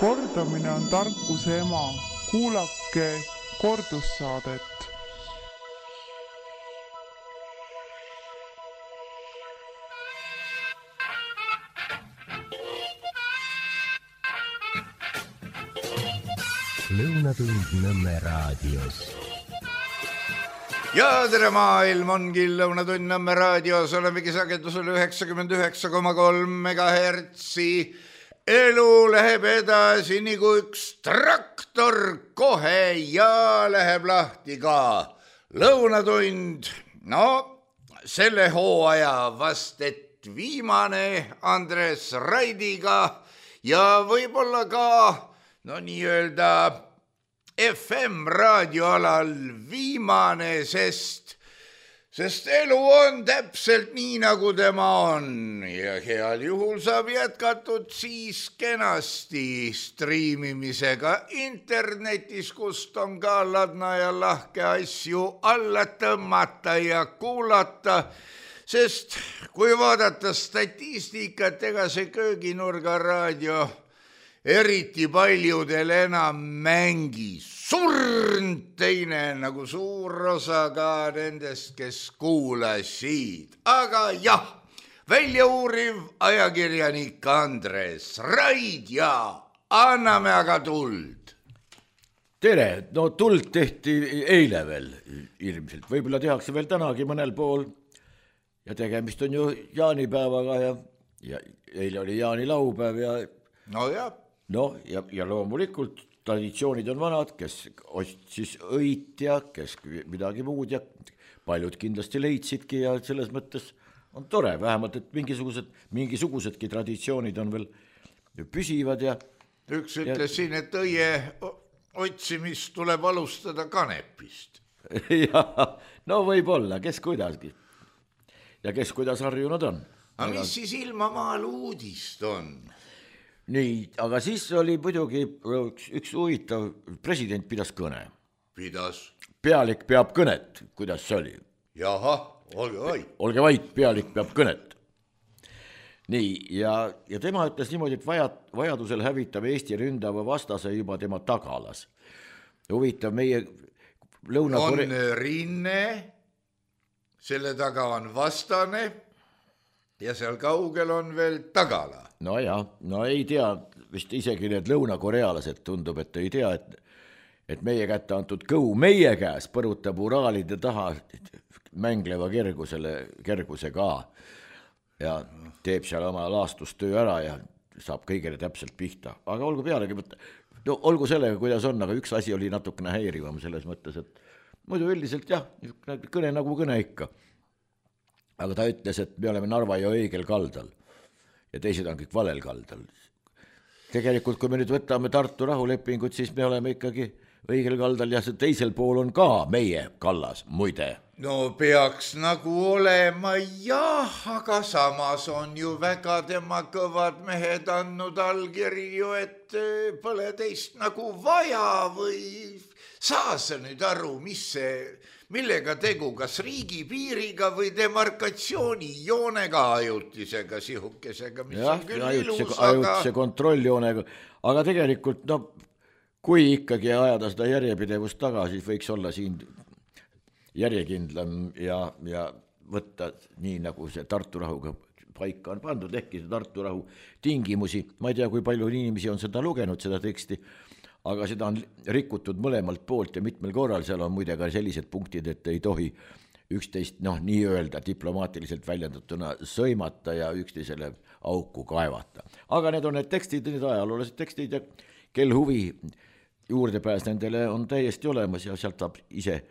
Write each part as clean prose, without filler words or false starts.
Kordamine on tarkuse ema. Kuulake kordussaadet. Lõunatund Nõmme raadios. Ja tere maailm ongi Lõunatund Nõmme raadios. Olemegi sagedusel 99,3 megahertsi. Elu läheb edasi nagu üks traktor kohe ja läheb lahti ka Lõunatund. No, selle hooaja vast et viimane Andres Raidiga ja võib-olla ka no nii-öelda FM raadioalal viimane, sest elu on täpselt nii, nagu tema on ja heal juhul saab jätkatud siis kenasti striimimisega internetis, kust on ka ladna ja lahke asju alla tõmmata ja kuulata, sest kui vaadata statistikat, ega see kööginurga raadio eriti paljudel enam mängi. Surnud teine nagu suur osa ka nendest, kes kuulasid. Aga jah, väljauuriv ajakirjanik Andres Raid ja anname aga tuld. Tere, no tuld tehti eile veel ilmselt. Võib-olla tehakse veel tänagi mõnel pool ja tegemist on ju jaanipäevaga ja eile oli jaanilaupäev ja ja loomulikult traditsioonid on vanad, kes ostis õit ja kes midagi muud ja paljud kindlasti leidsidki ja selles mõttes on tore, vähemalt, et mingisugusedki traditsioonid on veel püsivad ja üks ütles siin, et õie otsimist tuleb alustada kanepist. Ja, no võib-olla, kes kuidagi ja kes kuidas harjunud on. Aga mis siis ilmamaal uudist on? Nii, aga siis oli muidugi üks huvitav, president pidas kõne. Pidas? Pealik peab kõnet, kuidas see oli? Jaha, olge vait. Olge vait, pealik peab kõnet. Nii, ja tema ütles niimoodi, et vajadusel hävitab Eesti ründava vastase juba tema tagalas. Huvitav, meie on rinne, selle taga on vastane ja seal kaugel on veel tagala. No ei tea, vist isegi need lõunakorealased tundub, et ei tea, et meie kätte antud kõu meie käes põrutab uraalide taha mängleva kerguse ka ja teeb seal oma laastustöö ära ja saab kõigele täpselt pihta. Aga olgu pealegi, olgu sellega, kuidas on, aga üks asi oli natukene häirivam selles mõttes, et muidu üldiselt jah, kõne nagu kõne ikka. Aga ta ütles, et me oleme Narva ja õigel kaldal. Ja teised on kõik valel kaldal. Tegelikult, kui me nüüd võtame Tartu rahulepingut, siis me oleme ikkagi õigel kaldal ja see teisel pool on ka meie kallas, muide. No peaks nagu olema jah, aga samas on ju väga tema kõvad mehed andnud allkirju, et pole teist nagu vaja või saa sa nüüd aru, millega tegu, kas riigipiiriga või demarkatsioonijoonega ajutisega sihukesega, mis on küll ilus, ajutise kontrolljoonega, aga tegelikult kui ikkagi ajada seda järjepidevust taga, siis võiks olla siin järjekindlam ja võtta nii, nagu see Tartu rahuga paika on pandud, ehkki see Tartu rahu tingimusi, ma ei tea, kui palju inimesi on seda lugenud, seda teksti, aga seda on rikutud mõlemalt poolt ja mitmel korral, seal on muide ka sellised punktid, et ei tohi üksteist, nii öelda diplomaatiliselt väljendatuna sõimata ja üksteisele auku kaevata. Aga need on need tekstid, need ajaloolased tekstid ja kel huvi juurdepääs nendele on täiesti olemas ja sealt saab ise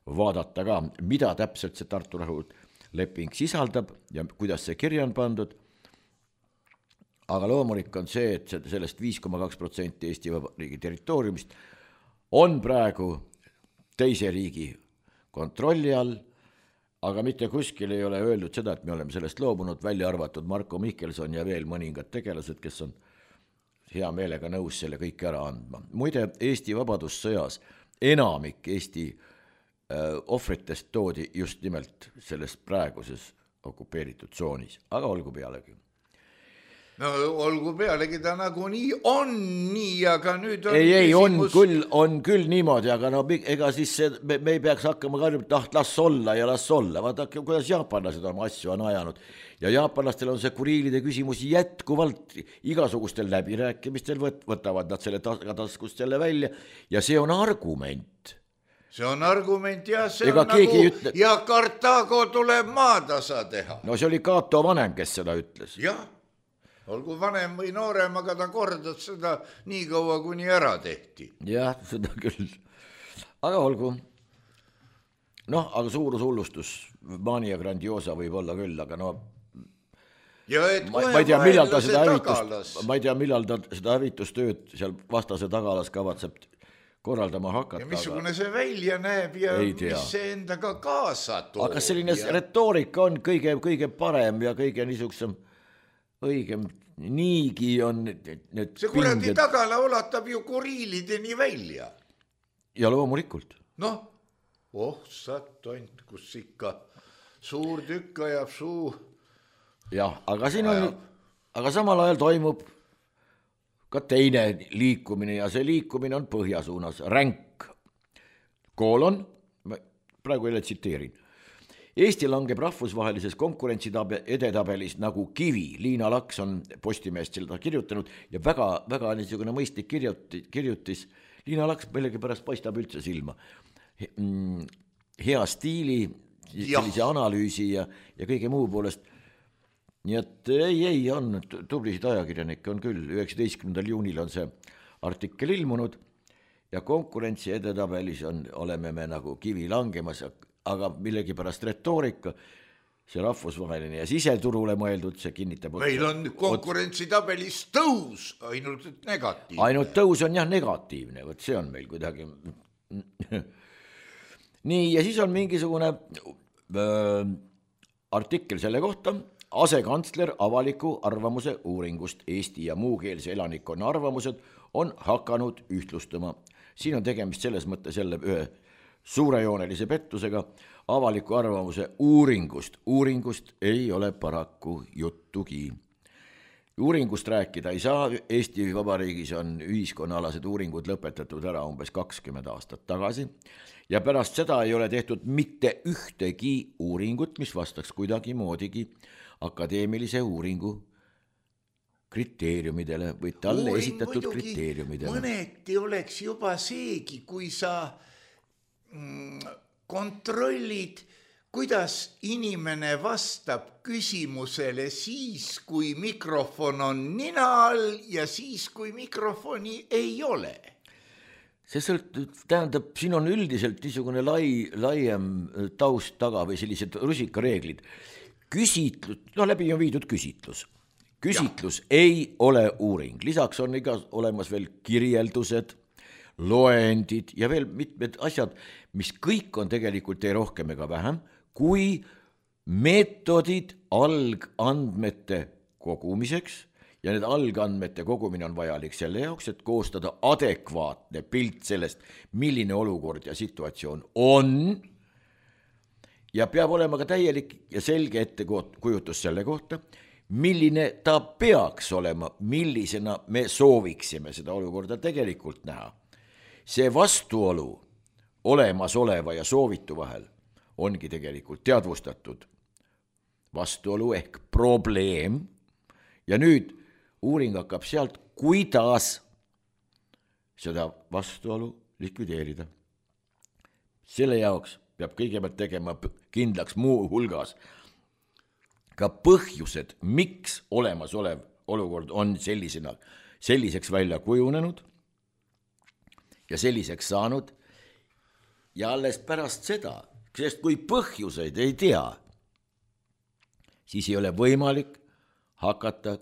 vaadata ka, mida täpselt see Tartu rahu leping sisaldab ja kuidas see kirja on pandud. Aga loomulik on see, et sellest 5,2% Eesti Vabariigi territooriumist on praegu teise riigi kontrolli all, aga mitte kuskil ei ole öeldud seda, et me oleme sellest loobunud, välja arvatud Marko Mihkelson ja veel mõningad tegelased, kes on hea meelega nõus selle kõik ära andma. Muide, Eesti vabadussõjas enamik Eesti ohvritest toodi just nimelt selles praeguses okupeeritud tsoonis, aga olgu pealegi. no olgu pealegi ta nagu nii on nii, aga nüüd on ei, on küll niimoodi, aga no ega siis me ei peaks hakkama karjuma, las olla ja las olla. Vaadake, kuidas jaapanlased oma asju on ajanud. Ja jaapanlastel on see kuriilide küsimus jätkuvalt igasugustel läbirääkimistel, võtavad nad selle taskust selle välja ja see on argument. See on argument ja see ega on nagu ütle... ja Kartaago tuleb maatasa teha. No see oli Cato vanem, kes seda ütles. Jah, olgu vanem või noorem, aga ta kordas seda nii kaua, kuni ära tehti. Jah, seda küll. Aga olgu. Noh, aga suurushullustus, mania grandiosa võib olla küll, aga no ja et ma ei tea, millal ta seda hävitustööd seal vastase tagalas kavatseb korraldama hakata. Ja missugune see välja näeb ja mis see endaga kaasa toob. Aga selline retoorika on kõige parem ja kõige niisugusem õigem. Niigi on need see kuradi tagala ulatab ju kuriilideni välja. Ja loomulikult. Noh, sattont, kus ikka suur tükk ajab suu. Jah, aga siin on, aga samal ajal toimub ka teine liikumine ja see liikumine on põhja suunas. Ränk, koolon, praegu jälle tsiteerin. Eesti langeb rahvusvahelises konkurentsiededabelis nagu kivi. Liina Laks on Postimehest seda kirjutanud ja väga niisugune mõistlik kirjutis. Liina Laks millegi pärast paistab üldse silma. Hea stiili, sellise analüüsi ja kõige muu poolest. Nii et ei on tublisid ajakirjanikke on küll. 19. juunil on see artikkel ilmunud ja konkurentsi edetabelis oleme me nagu kivi langemas, aga millegi pärast retoorika, see rahvusvaheline ja siseturule mõeldud, see kinnitab. Meil on konkurentsitabelis tõus, ainult negatiivne. Ainult tõus on jah negatiivne, võt see on meil kuidagi. Nii, ja siis on mingisugune artikkel selle kohta, asekantsler avaliku arvamuse uuringust. Eesti ja muukeelse elanikkonna arvamused on hakanud ühtlustama. Siin on tegemist selles mõttes jälle ühe suurejoonelise pettusega. Avaliku arvamuse uuringust ei ole paraku juttugi. Uuringust rääkida ei saa. Eesti Vabariigis on ühiskonnaalased uuringud lõpetatud ära umbes 20 aastat tagasi ja pärast seda ei ole tehtud mitte ühtegi uuringut, mis vastaks kuidagi moodigi akadeemilise uuringu kriteeriumidele või talle esitatud kriteeriumidele. Mõneti oleks juba seegi, kui sa kontrollid, kuidas inimene vastab küsimusele siis, kui mikrofon on nina all ja siis, kui mikrofoni ei ole. See tähendab, siin on üldiselt niisugune laiem taust taga või sellised rusikareeglid. Läbi on viidud küsitlus. Küsitlus ei ole uuring. Lisaks on olemas veel kirjeldused, loendid ja veel mitmed asjad, mis kõik on tegelikult ei rohkem ega vähem, kui meetodid algandmete kogumiseks ja need algandmete kogumine on vajalik selle jaoks, et koostada adekvaatne pilt sellest, milline olukord ja situatsioon on. Ja peab olema ka täielik ja selge ettekujutus selle kohta, milline ta peaks olema, millisena me sooviksime seda olukorda tegelikult näha. See vastuolu olemasoleva ja soovitu vahel ongi tegelikult teadvustatud vastuolu ehk probleem ja nüüd uuring hakkab sealt, kuidas seda vastuolu likvideerida. Selle jaoks peab kõigepealt tegema kindlaks muu hulgas ka põhjused, miks olemasolev olukord on selliseks välja kujunenud ja selliseks saanud ja alles pärast seda, sest kui põhjuseid ei tea, siis ei ole võimalik hakata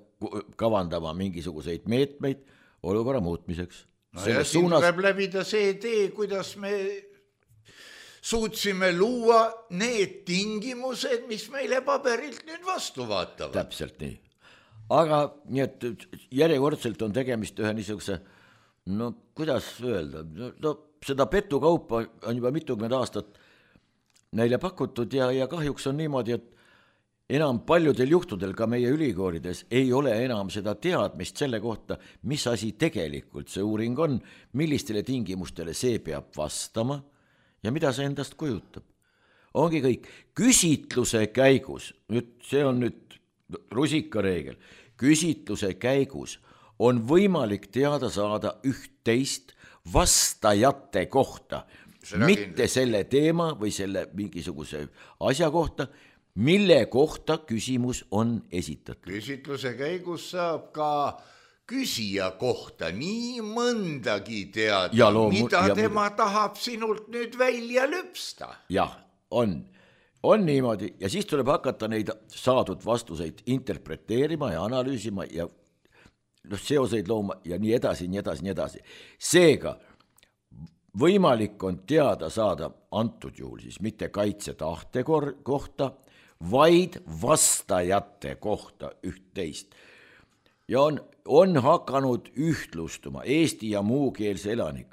kavandama mingisuguseid meetmeid olukorra muutmiseks. No ja siin tuleb läbida see tee, kuidas me suutsime luua need tingimused, mis meile paberilt nüüd vastu vaatavad. Täpselt nii. Aga nii, et järjekordselt on tegemist ühe niisuguse, no kuidas öelda, no seda petukaupa on juba mitukümmend aastat neile pakutud ja kahjuks on niimoodi, et enam paljudel juhtudel ka meie ülikoolides ei ole enam seda teadmist selle kohta, mis asi tegelikult see uuring on, millistele tingimustele see peab vastama ja mida see endast kujutab. Ongi kõik. Küsitluse käigus, see on nüüd rusikareegel, küsitluse käigus on võimalik teada saada üht-teist vastajate kohta, mitte selle teema või selle mingisuguse asja kohta, mille kohta küsimus on esitatud. Küsitluse käigus saab ka küsija kohta nii mõndagi teada, mida tema tahab sinult nüüd välja lüpsta. Jah, on niimoodi ja siis tuleb hakata neid saadud vastuseid interpreteerima ja analüüsima ja seoseid looma ja nii edasi, nii edasi, nii edasi. Seega võimalik on teada saada antud juhul siis mitte kaitsetahte kohta, vaid vastajate kohta üht-teist. Ja on hakanud ühtlustuma Eesti ja muukeelse elanik.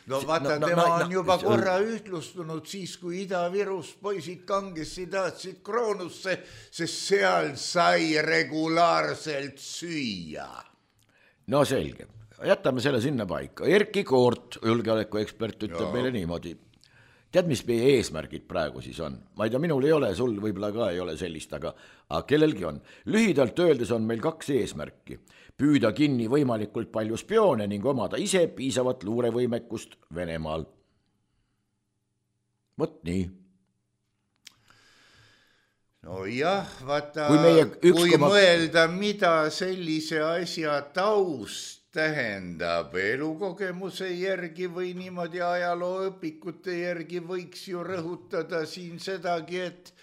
No vaata, tema on juba korra ühtlustunud siis, kui Ida-Virus poisid kangesti tahtsid Kroonusse, sest seal sai regulaarselt süüa. No selge, jätame selle sinna paika. Erki Koort, julgeolekuekspert, ütleb meile niimoodi. Tead, mis meie eesmärgid praegu siis on? Ma ei tea, minul ei ole, sul võib-olla ka ei ole sellist, aga kellelgi on. Lühidalt öeldes on meil 2 eesmärki. Püüda kinni võimalikult palju spioone ning omada ise piisavat luurevõimekust Venemaal. Vot nii. No jah, vaata, kui mõelda, mida sellise asja taust tähendab elukogemuse järgi või niimoodi ajalooõpikute järgi võiks ju rõhutada siin sedagi, et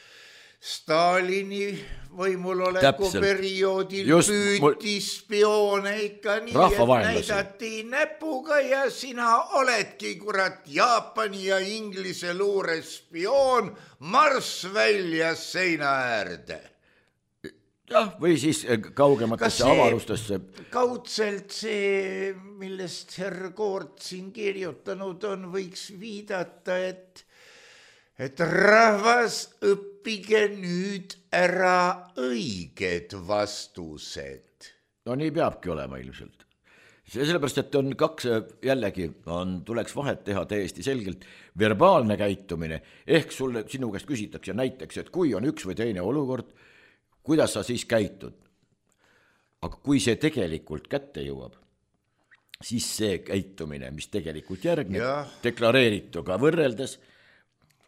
Stalini võimuloleku perioodil püüti spioone ikka nii, et näidati näpuga ja sina oledki kurat Jaapani ja Inglise luure spioon, marss välja seina äärde. Jah, või siis kaugematesse avarustesse. Kaudselt see, millest herr Koort siin kirjutanud on, võiks viidata, et rahvas õppige nüüd ära õiged vastused. No nii peabki olema ilmselt. Sellepärast, et on 2 jällegi, tuleks vahet teha täiesti selgelt verbaalne käitumine, ehk sinu käest küsitakse näiteks, et kui on üks või teine olukord, kuidas sa siis käitud? Aga kui see tegelikult kätte jõuab, siis see käitumine, mis tegelikult järgneb, deklareerituga võrreldes,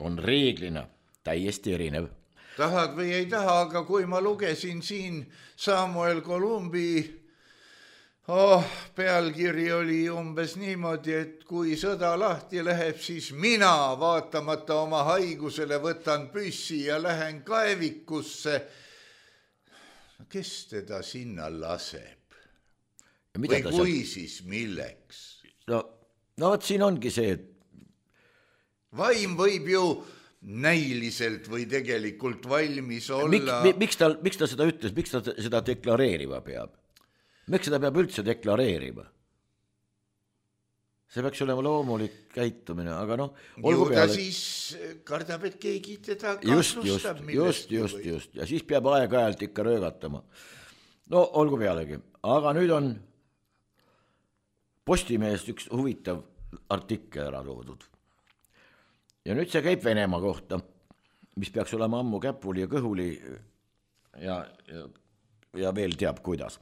on reeglina täiesti erinev. Tahad või ei taha, aga kui ma lugesin siin Samuel Columbi pealkiri oli umbes niimoodi, et kui sõda lahti läheb, siis mina vaatamata oma haigusele võtan püssi ja lähen kaevikusse. Kes teda sinna laseb? Või kui siis milleks? No võt siin ongi see, et vaim võib ju näiliselt või tegelikult valmis olla. Miks ta seda ütles, miks ta seda deklareerima peab? Miks seda peab üldse deklareerima? See peaks olema loomulik käitumine, aga olgu peale. Siis kardab, et keegi teda kahtlustab millestki. Just. Ja siis peab aeg-ajalt ikka röögatama. No olgu pealegi. Aga nüüd on Postimehest üks huvitav artikkel ära toodud. Ja nüüd see käib Venemaa kohta, mis peaks olema ammu käpuli ja kõhuli ja veel teab kuidas.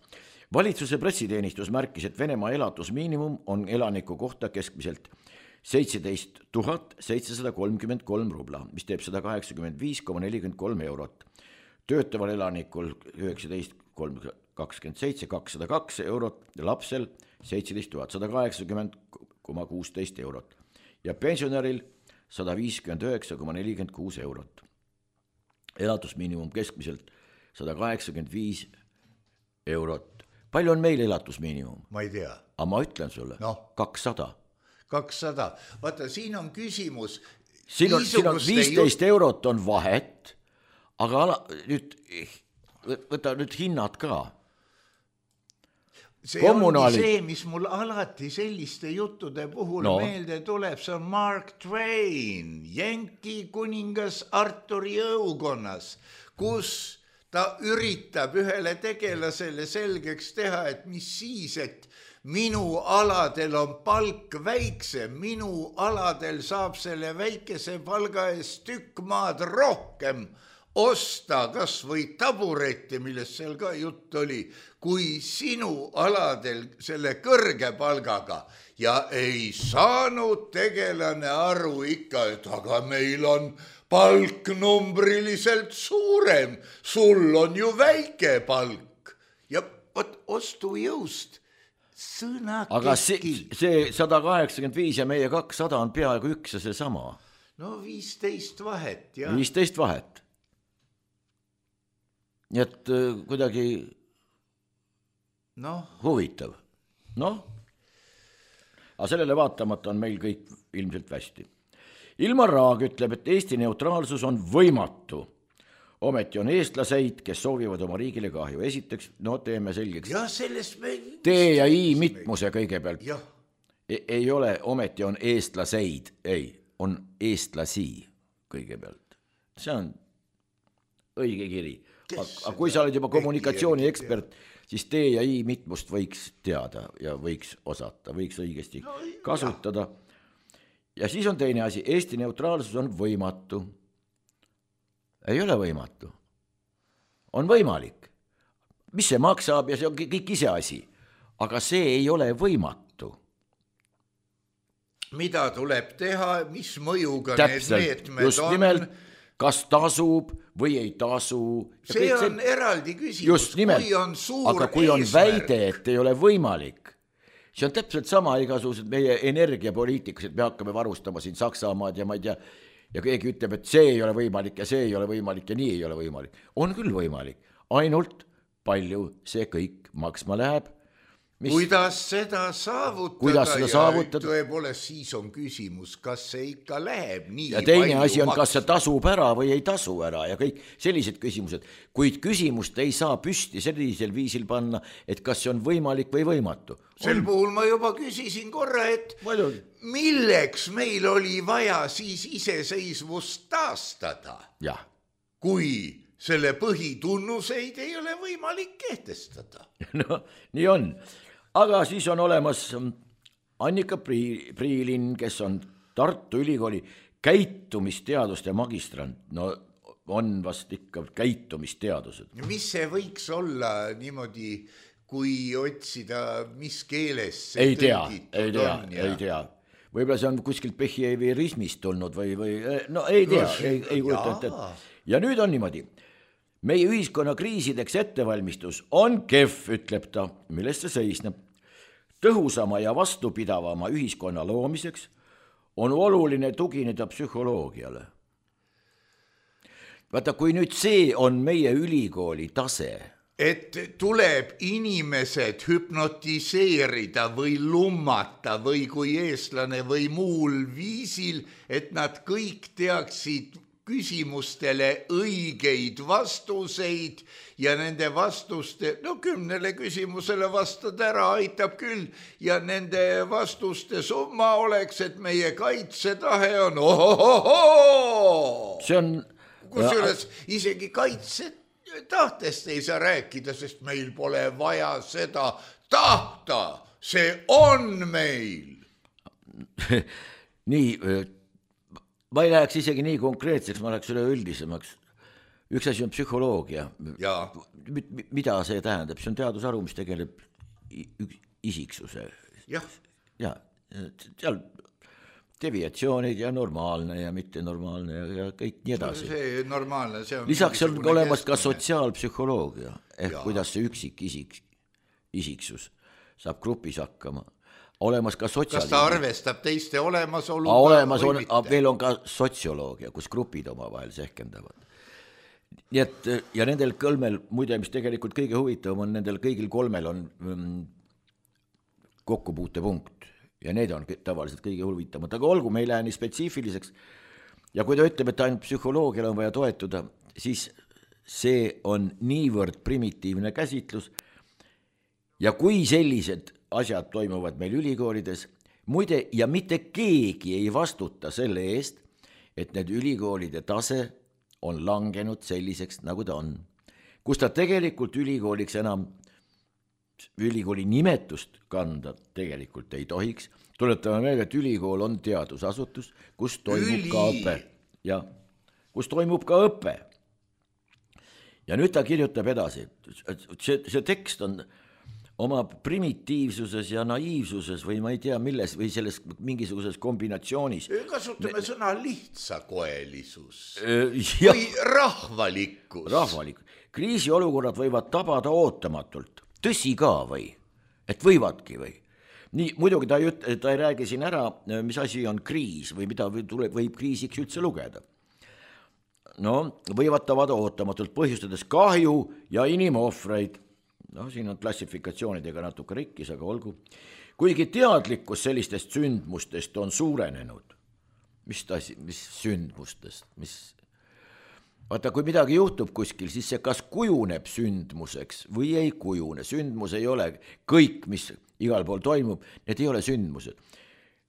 Valitsuse pressiteenistus märkis, et Venemaa elatusmiinimum on elaniku kohta keskmiselt 17 733 rubla, mis teeb 185,43 eurot. Töötaval elanikul 19,27, 202 eurot, lapsel 17 180,16 eurot ja pensionäril 159,46 eurot. Elatusmiinimum keskmiselt 185 eurot. Palju on meil elatusmiinimum? Ma ei tea. Aga ma ütlen sulle, 200. 200. Vaata, siin on küsimus. Siin on 15 eurot on vahet, aga võta nüüd hinnad ka. see ongi see, mis mul alati selliste juttude puhul meelde tuleb, see on Mark Twain, Jenki kuningas Arturi õukonnas, kus ta üritab ühele tegelasele selgeks teha, et mis siis, et minu aladel on palk väiksem, minu aladel saab selle väikese palga eest tükk maad rohkem osta kas või taburette, millest seal ka jutt oli, kui sinu aladel selle kõrge palgaga. Ja ei saanud tegelane aru ikka, et aga meil on palk numbriliselt suurem, sul on ju väike palk. Ja ostujõust sõna aga see 185 ja meie 200 on peaaegu üks ja see sama. No 15 vahet, jah. 15 vahet. Nii et kuidagi huvitav. Aga sellele vaatamata on meil kõik ilmselt hästi. Ilmar Raag ütleb, et Eesti neutraalsus on võimatu. Ometi on eestlaseid, kes soovivad oma riigile kahju. Esiteks, teeme selgeks. Ja sellest me... T ja I mitmuse kõigepealt. Ei ole, ometi on eestlaseid. Ei, on eestlasi kõigepealt. See on õige kiri. Aga kui sa oled juba kommunikatsiooni ekspert, siis T ja I mitmust võiks teada ja võiks osata, võiks õigesti kasutada. Ja siis on teine asi, Eesti neutraalsus on võimatu. Ei ole võimatu. On võimalik. Mis see maksab ja see on kõik ise asi. Aga see ei ole võimatu. Mida tuleb teha, mis mõjuga need meetmed just on? Nimelt, kas tasub või ei tasu. See on eraldi küsimus. Just nimelt, aga kui on väide, et ei ole võimalik, see on täpselt sama igasugused meie energiapoliitikas, et me hakkame varustama siin Saksamaad ja ma ei tea, ja keegi ütleb, et see ei ole võimalik ja see ei ole võimalik ja nii ei ole võimalik. On küll võimalik, ainult palju see kõik maksma läheb. Kuidas seda saavutada? Tõepoolest siis on küsimus, kas see ikka läheb nii ja teine asi on, kas see tasub ära või ei tasu ära ja kõik sellised küsimused. Kuid küsimust ei saa püsti sellisel viisil panna, et kas see on võimalik või võimatu. Sel puhul ma juba küsisin korra, et milleks meil oli vaja siis iseseisvust taastada, kui selle põhitunnuseid ei ole võimalik kehtestada. Nii on. Aga siis on olemas Annika Priilin, kes on Tartu Ülikooli käitumisteaduste magistrant. On vast ikka käitumisteadused. Mis see võiks olla niimoodi, kui otsida, mis keeles see ei tea. Võib-olla see on kuskilt behaviorismist tulnud või ei tea, ei kujuta. Ja nüüd on niimoodi. Meie ühiskonna kriisideks ettevalmistus on kehv, ütleb ta, millest see seisneb. Tõhusama ja vastupidavama ühiskonna loomiseks on oluline tugineda psühholoogiale. Vaata, kui nüüd see on meie ülikooli tase, et tuleb inimesed hüpnotiseerida või lummata või kui eestlane või muul viisil, et nad kõik teaksid küsimustele õigeid vastuseid ja nende vastuste, 10 küsimusele vastada ära aitab küll ja nende vastuste summa oleks, et meie kaitsetahe on See on kusjuures isegi kaitsetahtest ei saa rääkida, sest meil pole vaja seda tahta, see on meil. Nii, ma ei läheks isegi nii konkreetseks, ma läheks üle üldisemaks. Üks asi on psühholoogia. Mida see tähendab? See on teadusharu, mis tegeleb isiksuse. Ja, seal deviatsioonid ja normaalne ja mittenormaalne ja kõik nii edasi. See normaalne, see on... Lisaks on olemas ka sotsiaalpsühholoogia, kuidas see üksik isiksus saab grupis hakkama. Olemas ka kas ta arvestab teiste olemasolu? Veel on ka sotsioloogia, kus grupid omavahel sehkendavad. Nii et, ja nendel kolmel, muide, mis tegelikult kõige huvitavam on, nendel kõigil kolmel on kokkupuutepunkt ja need on tavaliselt kõige huvitavamad. Aga olgu, me ei lähe nii spetsiifiliseks ja kui ta ütleb, et ainult psühholoogiale on vaja toetuda, siis see on niivõrd primitiivne käsitlus ja kui sellised asjad toimuvad meil ülikoolides, muide, ja mitte keegi ei vastuta selle eest, et need ülikoolide tase on langenud selliseks, nagu ta on. Kus ta tegelikult ülikooliks enam ülikooli nimetust kanda tegelikult ei tohiks. Tuletame meelde, et ülikool on teadusasutus, kus toimub ka õpe. Ja kus toimub ka õpe. Ja nüüd ta kirjutab edasi. See tekst on oma primitiivsuses ja naiivsuses või ma ei tea milles või selles mingisuguses kombinatsioonis. Kasutame sõna lihtsakoelisus või rahvalikkus. Rahvalikkus. Kriisiolukorrad võivad tabada ootamatult. Tõsi ka või? Et võivadki või? Nii, muidugi ta ei räägi siin ära, mis asi on kriis või mida võib kriisiks üldse lugeda. No, võivad tabada ootamatult põhjustades kahju ja inimohvreid. No, siin on klassifikatsioonidega natuke rikkis, aga olgu. Kuigi teadlikkus sellistest sündmustest on suurenenud. Mis sündmustest? Vaata, kui midagi juhtub kuskil, siis see kas kujuneb sündmuseks või ei kujune. Sündmus ei ole kõik, mis igal pool toimub, need ei ole sündmused.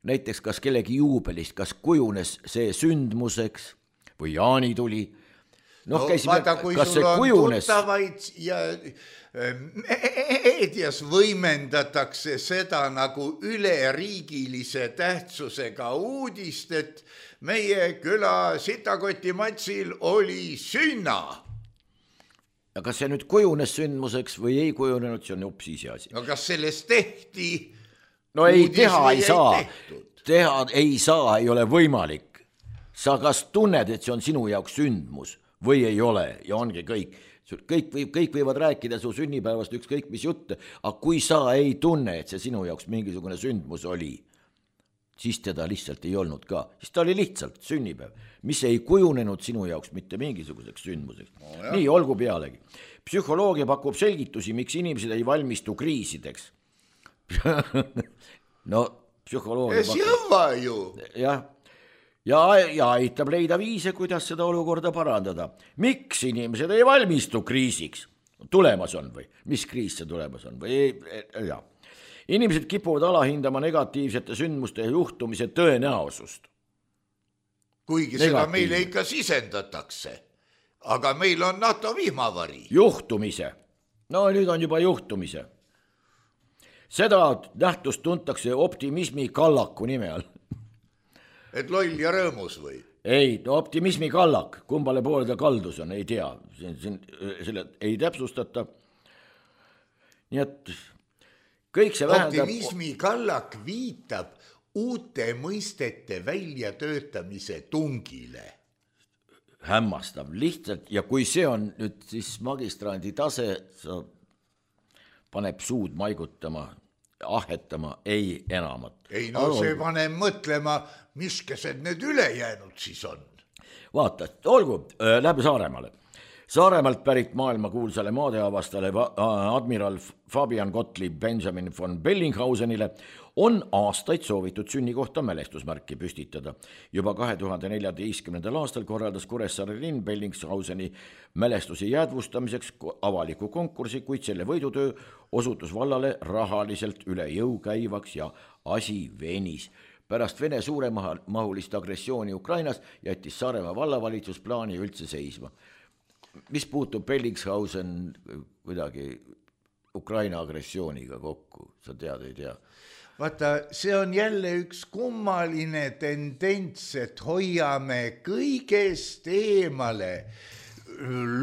Näiteks kas kellegi juubelist, kas kujunes see sündmuseks või jaanituli. No, vaata, kui sul on tuttavaid ja meedias võimendatakse seda nagu üleriigilise tähtsusega uudist, et meie küla Sitakoti matsil oli sünna. Ja kas see nüüd kujunes sündmuseks või ei kujunenud, see on hoopis ise asi. No kas sellest tehti? No ei, teha ei saa. Teha ei saa, ei ole võimalik. Sa kas tunned, et see on sinu jaoks sündmus või ei ole ja ongi kõik. Kõik võivad rääkida su sünnipäevast ükskõik mis jutte, aga kui sa ei tunne, et see sinu jaoks mingisugune sündmus oli, siis teda lihtsalt ei olnud ka. Siis ta oli lihtsalt sünnipäev, mis ei kujunenud sinu jaoks mitte mingisuguseks sündmuseks. Nii, olgu pealegi. Psühholoogia pakub selgitusi, miks inimesed ei valmistu kriisideks. No, psühholoogia pakub. Jah. Ja aitab leida viise, kuidas seda olukorda parandada. Miks inimesed ei valmistu kriisiks? Tulemas on või? Mis kriis see tulemas on? Ja. Inimesed kipuvad alahindama negatiivsete sündmuste ja juhtumise tõenäosust. Kuigi seda meile ikka sisendatakse. Aga meil on NATO vihmavari. Juhtumise. No nüüd on juba juhtumise. Seda nähtust tuntakse optimismi kallaku nime all. Et loll ja rõõmus või? Ei, optimismi kallak, kumbale poole ta kaldus on, ei tea, selle ei täpsustata. Nii et kõik see vähendab... Optimismi kallak viitab uute mõistete väljatöötamise tungile. Hämmastav, lihtsalt, ja kui see on nüüd siis magistrandi tase, sa paneb suud maigutama, ahetama, ei enamat. Ei, no see paneb mõtlema, miskesed need ülejäänud siis on. Vaata, olgu, läbi Saaremaale. Saaremaalt pärit maailma kuulsale maadeavastale admiral Fabian Gottlieb Benjamin von Bellingshausenile on aastaid soovitud sünnikohta mälestusmärki püstitada. Juba 2014. aastal korraldas Kuressaare linn Bellingshauseni mälestusi jäädvustamiseks avaliku konkursi, kuid selle võidutöö osutus vallale rahaliselt üle jõu käivaks ja asi venis. Pärast Vene suuremahulist agressiooni Ukrainas jättis Saaremaa vallavalitsus plaani üldse seisma. Mis puutub Bellingshausen kuidagi Ukraina agressiooniga kokku, sa tead, ei tea? Vaata, see on jälle üks kummaline tendents, et hoiame kõigest eemale.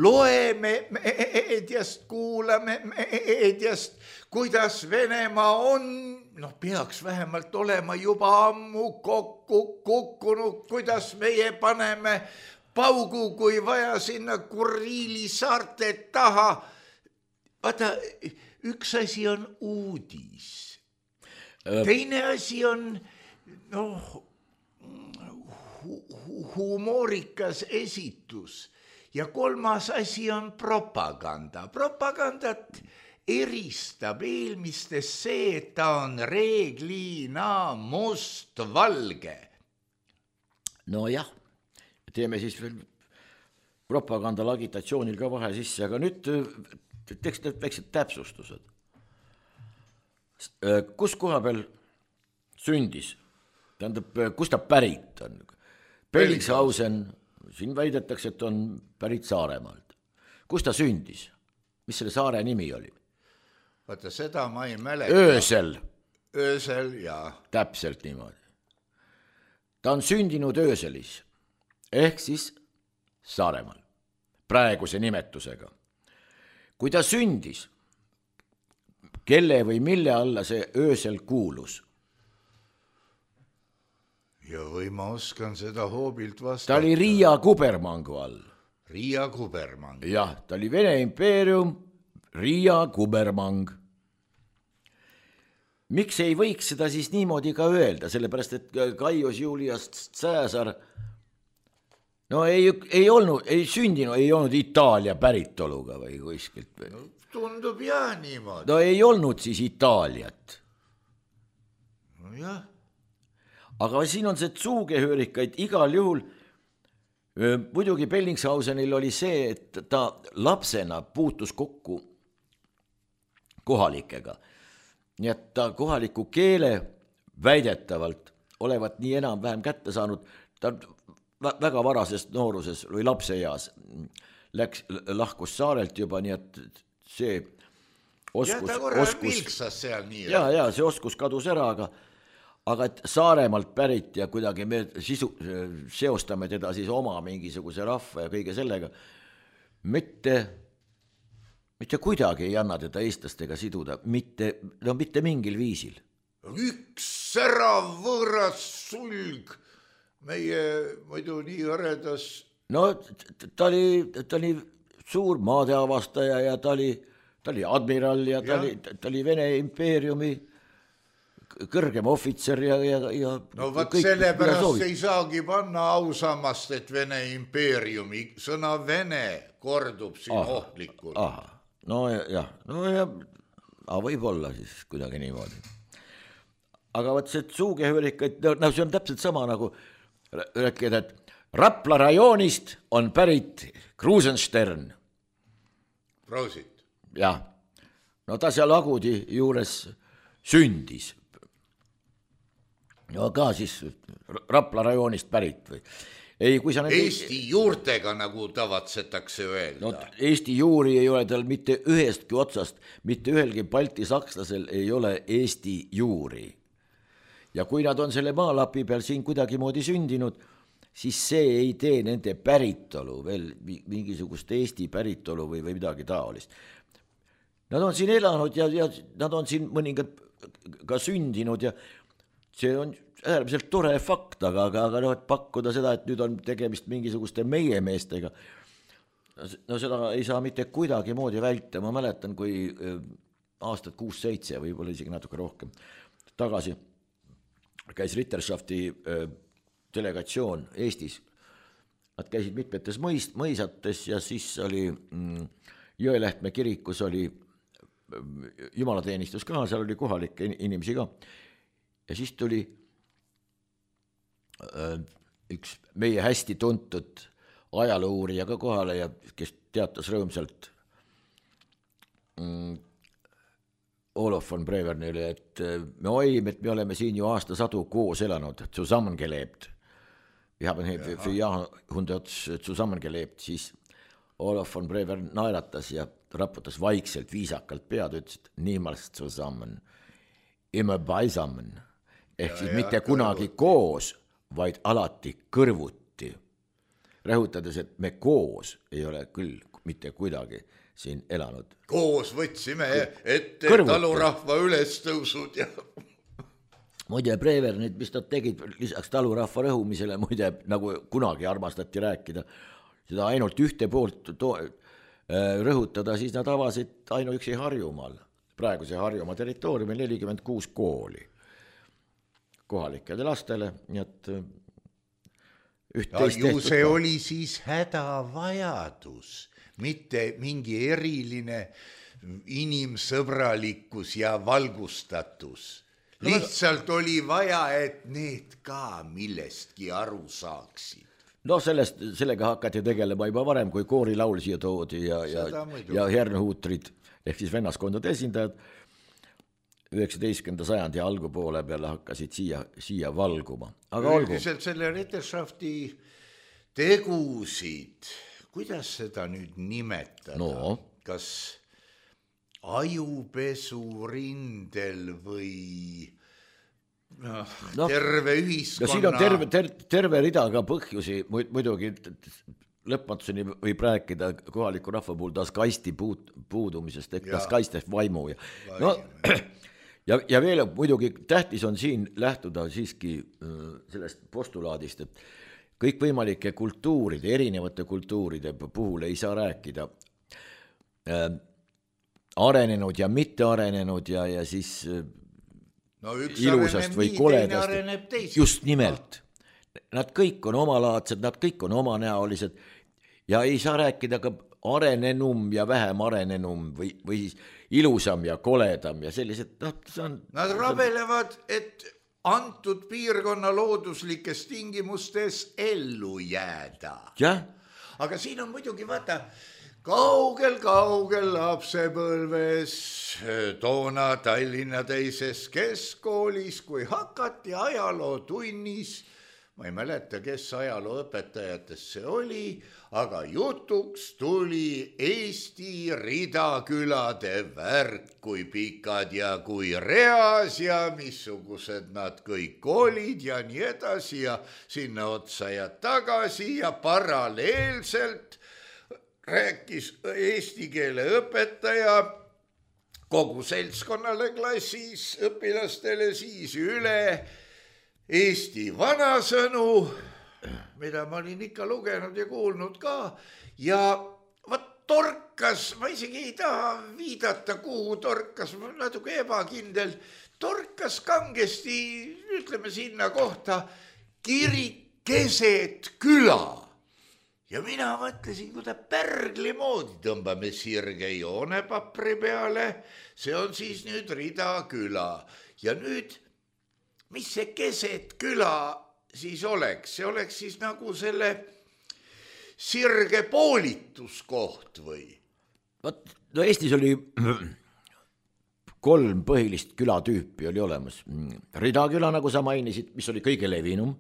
Loeme meediast, kuulame meediast, kuidas Venemaa on, peaks vähemalt olema juba ammu kokku kukkunud, kuidas meie paneme paugu, kui vaja sinna Kuriili saarte taha. Vaata, üks asi on uudis. Teine asi on humoorikas esitus ja kolmas asi on propaganda. Propagandat eristab eelmistest see, et ta on reeglina must-valge. No jah, teeme siis veel propagandal agitatsioonil ka vahe sisse, aga nüüd teeks need väiksed täpsustused. kus koha peal sündis, tähendab, kus ta pärit on? Bellingshausen, siin väidetakse, et on pärit Saaremaalt. Kus ta sündis? Mis selle saare nimi oli? Vaata, seda ma ei mäleta. Öösel, jaa. Täpselt niimoodi. Ta on sündinud Ööselis, ehk siis Saaremaal, praeguse nimetusega. Kui ta sündis, kelle või mille alla see Öösel kuulus? Ja või ma oskan seda hoobilt vastata. Ta oli Riia kubermangu all. Riia kubermang. Jah, ta oli Vene impeerium, Riia kubermang. Miks ei võiks seda siis niimoodi ka öelda, sellepärast et Gaius Julius Caesar ei olnud Itaalia päritoluga või kuskilt. No, tundub jah niimoodi. No ei olnud siis Itaaliat. No jah. Aga siin on see Zugehörigkeit igal juhul. Muidugi Bellingshausenil oli see, et ta lapsena puutus kokku kohalikega. Nii et ta kohaliku keele väidetavalt olevat nii enam-vähem kätte saanud, ta väga varasest nooruses või lapseeas lahkus saarelt juba, nii et see oskus... Ja ta korral vilksas seal nii. Ja, see oskus kadus ära, aga et Saaremaalt pärit ja kuidagi me seostame teda siis oma mingisuguse rahva ja kõige sellega, mitte kuidagi ei anna teda eestlastega siduda, mitte mingil viisil. Üks särav võõras sulg meie muidu nii aredas. No ta oli suur maadeavastaja ja ta oli admiral ja ta oli Vene impeeriumi kõrgem ohvitser ja no võt sellepärast ei saagi panna ausammast, et Vene impeeriumi sõna Vene kordub siin ohtlikult. No jah, võib-olla siis kuidagi niimoodi. Aga võt see Zugehörigkeit, see on täpselt sama nagu rääkida, et Rapla rajoonist on pärit Krusenstern. Prosit. Jah, no ta seal Agudi juures sündis. No ka siis Rapla rajoonist pärit või? Ei, kui sa Eesti juurtega, nagu tavatsetakse öelda. No, Eesti juuri ei ole tal mitte ühestki otsast, mitte ühelgi Balti sakslasel ei ole Eesti juuri. Ja kui nad on selle maalapi peal siin kuidagi moodi sündinud, siis see ei tee nende päritolu, veel mingisugust Eesti päritolu või midagi taolist. Nad on siin elanud ja nad on siin mõningad ka sündinud ja see on äärmiselt tore fakt, aga pakkuda seda, et nüüd on tegemist mingisuguste meie meestega. No seda ei saa mitte kuidagi moodi välta. Ma mäletan, kui aastat 6-7, võib-olla isegi natuke rohkem tagasi käis Ritterschafti delegatsioon Eestis. Nad käisid mitmetes mõisates ja siis oli Jõelähtme kirikus oli jumalateenistus ka, seal oli kohalikke inimesi ka. Ja siis tuli üks meie hästi tuntud ajaluurija ka kohale ja kes teatas rõõmsalt Olof von Brevernile, et me oleme siin ju aastasadu koos elanud, zusammengelebt. Wir haben für Jahrhundert zusammengelebt, siis Olof von Brevern naeratas ja raputas vaikselt viisakalt pead, ütles, et niemals zusammen, immer beisammen, ehk siis mitte kunagi koos, vaid alati kõrvuti. Rõhutades, et me koos ei ole küll mitte kuidagi siin elanud. Koos võtsime ette talurahva ülestõusud ja... Muide, Brevernid, mis nad tegid lisaks talurahva rõhumisele, muide, nagu kunagi armastati rääkida, seda ainult ühte poolt rõhutada, siis nad avasid ainuüksi Harjumaal, praeguse Harjumaa territooriumil 46 kooli kohalikele lastele, nii et ju see oli siis hädavajadus, mitte mingi eriline inimsõbralikkus ja valgustatus. Lihtsalt oli vaja, et need ka millestki aru saaksid. No sellega hakati tegelema juba varem, kui koorilaul siia toodi ja hernehuutrid ehk siis vennaskondade esindajad. 19. sajandi algupoole peale hakkasid siia valguma. Aga olgu. Üldiselt selle Ritterschafti tegusid, kuidas seda nüüd nimetada? No. Kas ajupesu rindel või terve ühiskonna... No siin on terve rida ka põhjusi, muidugi lõpmatuseni võib rääkida kohaliku rahva puhul taas kaisti puudumisest, taas kaistest vaimu. Ja veel muidugi tähtis on siin lähtuda siiski sellest postulaadist, et kõikvõimalike kultuuride, erinevate kultuuride puhul ei saa rääkida arenenud ja mitte arenenud ja siis ilusast või koledast. Just nimelt. Nad kõik on omalaadsed, nad kõik on omanäolised ja ei saa rääkida ka arenenum ja vähem arenenum või siis ilusam ja koledam ja sellised. Nad rabelevad, et antud piirkonna looduslikes tingimustes ellu jääda. Jah. Aga siin on muidugi, vaata, kaugel lapsepõlves, toona Tallinna teises keskkoolis, kui hakati ajalootunnis, ma ei mäleta, kes ajalooõpetajatest see oli, aga jutuks tuli Eesti ridakülade värk, kui pikad ja kui reas ja missugused nad kõik olid ja nii edasi ja sinna otsa ja tagasi ja paralleelselt rääkis eesti keele õpetaja kogu seltskonnale klassis, õpilastele siis üle Eesti vanasõnu, mida ma olin ikka lugenud ja kuulnud ka ja võt torkas, ma isegi ei taha viidata, kuhu torkas, ma natuke ebakindel, torkas kangesti, ütleme sinna kohta, kirik keset küla. Ja mina mõtlesin, kui ta pärgli moodi tõmbame sirge joone papri peale, see on siis nüüd Ridaküla. Ja nüüd, mis see keset küla siis oleks? See oleks siis nagu selle sirge poolituskoht või? No Eestis oli 3 põhilist külatüüpi oli olemas. Ridaküla, nagu sa mainisid, mis oli kõige levinum.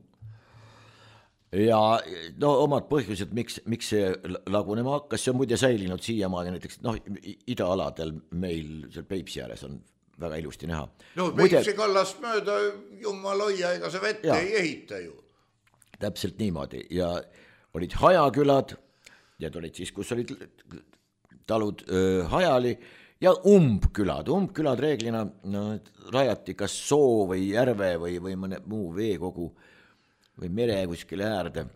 Ja no omad põhjused, miks see lagunema hakkas, see on muide säilinud siiamaani näiteks idaaladel meil seal Peipsi ääres on väga ilusti näha. No Peipsi kallast mööda jumal hoia, ega see vette ei ehita ju. Täpselt niimoodi ja olid hajakülad, need olid siis, kus olid talud hajali ja umbkülad reeglina rajati kas soo või järve või mõne muu veekogu või mere kuskile äärde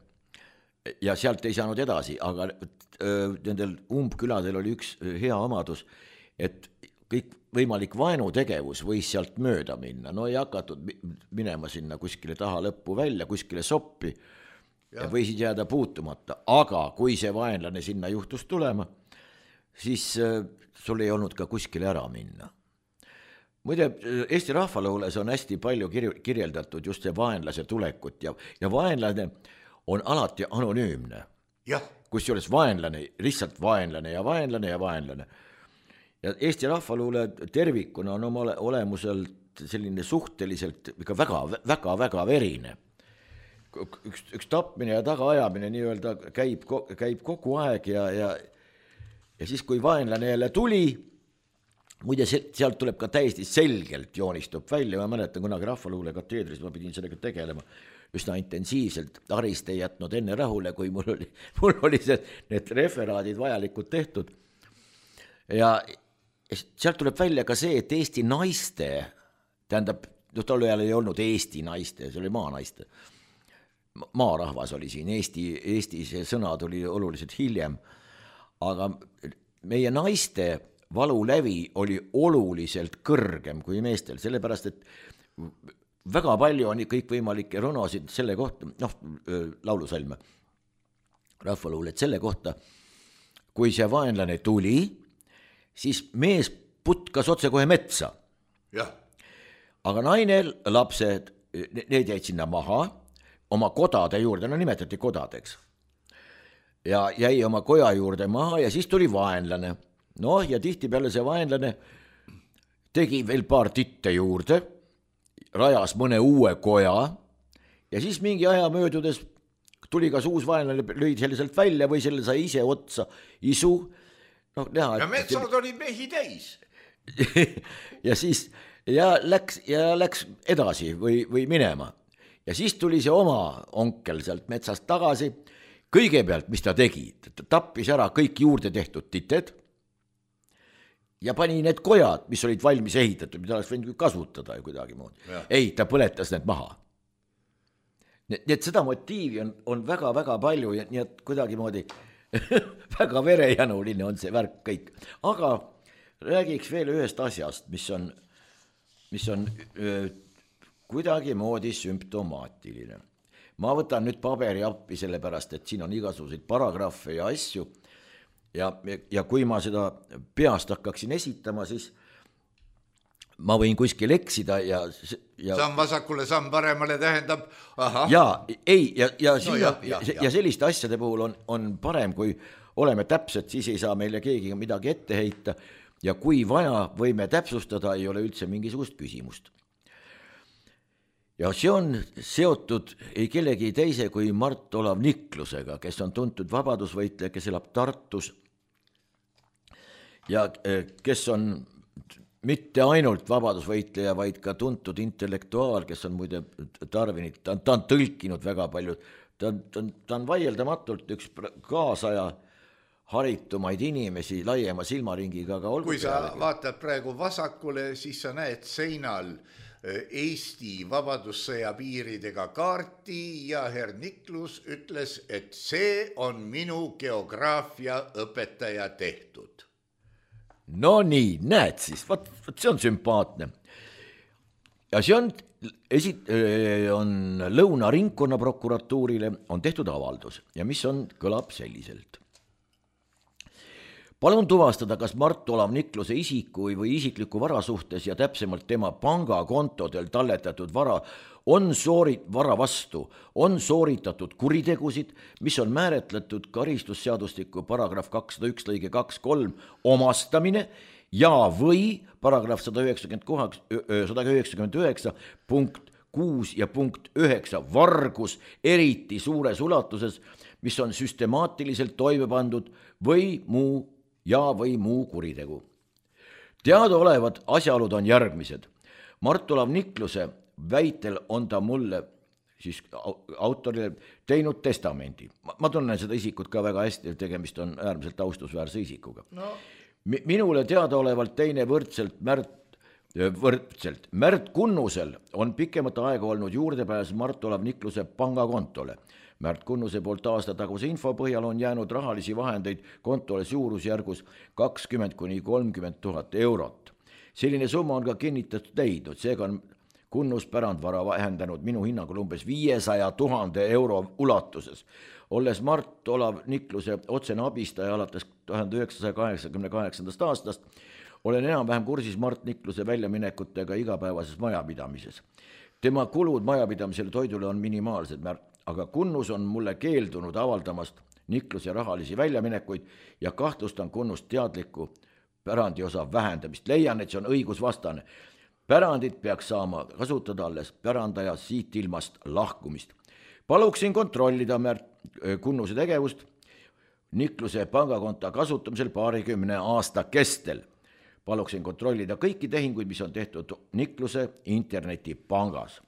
ja sealt ei saanud edasi, aga nendel umbküladel oli üks hea omadus, et kõik võimalik vaenutegevus võis sealt mööda minna, no ei hakatud minema sinna kuskile taha lõppu välja, kuskile soppi ja võisid jääda puutumata, aga kui see vaenlane sinna juhtus tulema, siis sul ei olnud ka kuskile ära minna. Muide, Eesti rahvaluules on hästi palju kirjeldatud just see vaenlase tulekut ja vaenlane on alati anonüümne. Kusjuures vaenlane, lihtsalt vaenlane ja vaenlane ja vaenlane. Ja Eesti rahvaluule tervikuna on oma olemuselt selline suhteliselt väga verine. Üks tapmine ja tagaajamine nii-öelda käib kogu aeg ja siis, kui vaenlane jälle tuli, muide, sealt tuleb ka täiesti selgelt joonistub välja, ma mäletan kunagi rahvaluule kateedris, ma pidin sellega tegelema üsna intensiivselt, Arist ei jätnud enne rahule, kui mul oli need referaadid vajalikud tehtud. Ja sealt tuleb välja ka see, et Eesti naiste, tähendab, tol ajal ei olnud Eesti naiste, see oli maanaiste, maarahvas oli siin, Eesti see sõna tuli oluliselt hiljem, aga meie naiste valulävi oli oluliselt kõrgem kui meestel, sellepärast, et väga palju on kõikvõimalikke ronosid selle kohta, laulusalme, rahvaluulet selle kohta, kui see vaenlane tuli, siis mees putkas otse kohe metsa. Aga naine, lapsed, need jäid sinna maha, oma kodade juurde, nimetati kodadeks, ja jäi oma koja juurde maha ja siis tuli vaenlane. Ja tihti peale see vaenlane tegi veel paar titte juurde, rajas mõne uue koja ja siis mingi aja möödudes tuli kas uus vaenlane, lõi selle sealt välja või selle sai ise otsa isu. No, näha, ja metsad olid mehi täis. ja siis läks edasi või minema. Ja siis tuli see oma onkel sealt metsast tagasi. Kõigepealt, mis ta tegi, ta tappis ära kõik juurde tehtud tited ja pani need kojad, mis olid valmis ehitatud, mida oleks võinud kasutada kuidagi moodi. Ei, ta põletas need maha. Nii et seda motiivi on väga-väga palju ja nii et kuidagi moodi väga verejanuline on see värk kõik. Aga räägiks veel ühest asjast, mis on kuidagi moodi sümptomaatiline. Ma võtan nüüd paberi appi sellepärast, et siin on igasuguseid paragrahve ja asju ja kui ma seda peast hakkaksin esitama, siis ma võin kuskil eksida ja samm vasakule, samm paremale tähendab aha. Ja selliste asjade puhul on parem, kui oleme täpsed, siis ei saa meile keegi midagi ette heita ja kui vaja, võime täpsustada, ei ole üldse mingisugust küsimust. Ja see on seotud ei kellegi teise kui Mart Olav Niklusega, kes on tuntud vabadusvõitleja, kes elab Tartus ja kes on mitte ainult vabadusvõitleja, vaid ka tuntud intellektuaal, kes on muide tarvinud, ta on tõlkinud väga palju, ta on vaieldamatult üks kaasaja haritumaid inimesi laiema silmaringiga, aga olgu kui sa vaatad praegu vasakule, siis sa näed seinal Eesti vabadussõja piiridega kaarti ja herr Niklus ütles, et see on minu geograafia õpetaja tehtud. No nii, näed siis, vaat see on sümpaatne. Ja see on Lõuna ringkonna prokuratuurile on tehtud avaldus ja mis kõlab selliselt. Palun tuvastada, kas Mart Olav Nikluse isiku või isikliku vara suhtes ja täpsemalt tema pangakontodel talletatud vara on sooritatud kuritegusid, mis on määratletud karistusseadustiku paragrahv 201 lõige 2.3 omastamine ja või paragrahv 199 punkt 6 ja punkt 9 vargus eriti suures ulatuses, mis on süstemaatiliselt toime pandud või muu kuritegu. Teadaolevad asjaolud on järgmised. Mart Olav Nikluse väitel on ta mulle, siis autorile, teinud testamendi. Ma tunnen seda isikut ka väga hästi, et tegemist on äärmiselt austusväärse isikuga. No. Minule teadaolevalt teine võrdselt Märt Kunnusel on pikemat aega olnud juurdepääs Mart Olav Nikluse pangakontole. Märt Kunnuse poolt aastataguse info põhjal on jäänud rahalisi vahendeid kontole suurusjärgus 20 kuni 30 000 eurot. Selline summa on ka kinnitatud leidnud, seega on Kunnus pärandvara vähendanud minu hinnangul umbes 500 000 euro ulatuses. Olles Mart Olav Nikluse otsene abistaja alates 1988. aastast, olen enam-vähem kursis Mart Nikluse väljaminekutega igapäevases majapidamises. Tema kulud majapidamisele toidule on minimaalsed, aga Kunnus on mulle keeldunud avaldamast Nikluse rahalisi väljaminekuid ja kahtlustan Kunnust teadliku pärandiosa vähendamist. Leian, et see on õigusvastane. Pärandit peaks saama kasutada alles pärandaja siit ilmast lahkumist. Paluksin kontrollida Kunnuse tegevust Nikluse pangakonta kasutamisel 20 aasta kestel. Paluksin kontrollida kõiki tehinguid, mis on tehtud Nikluse internetipangas.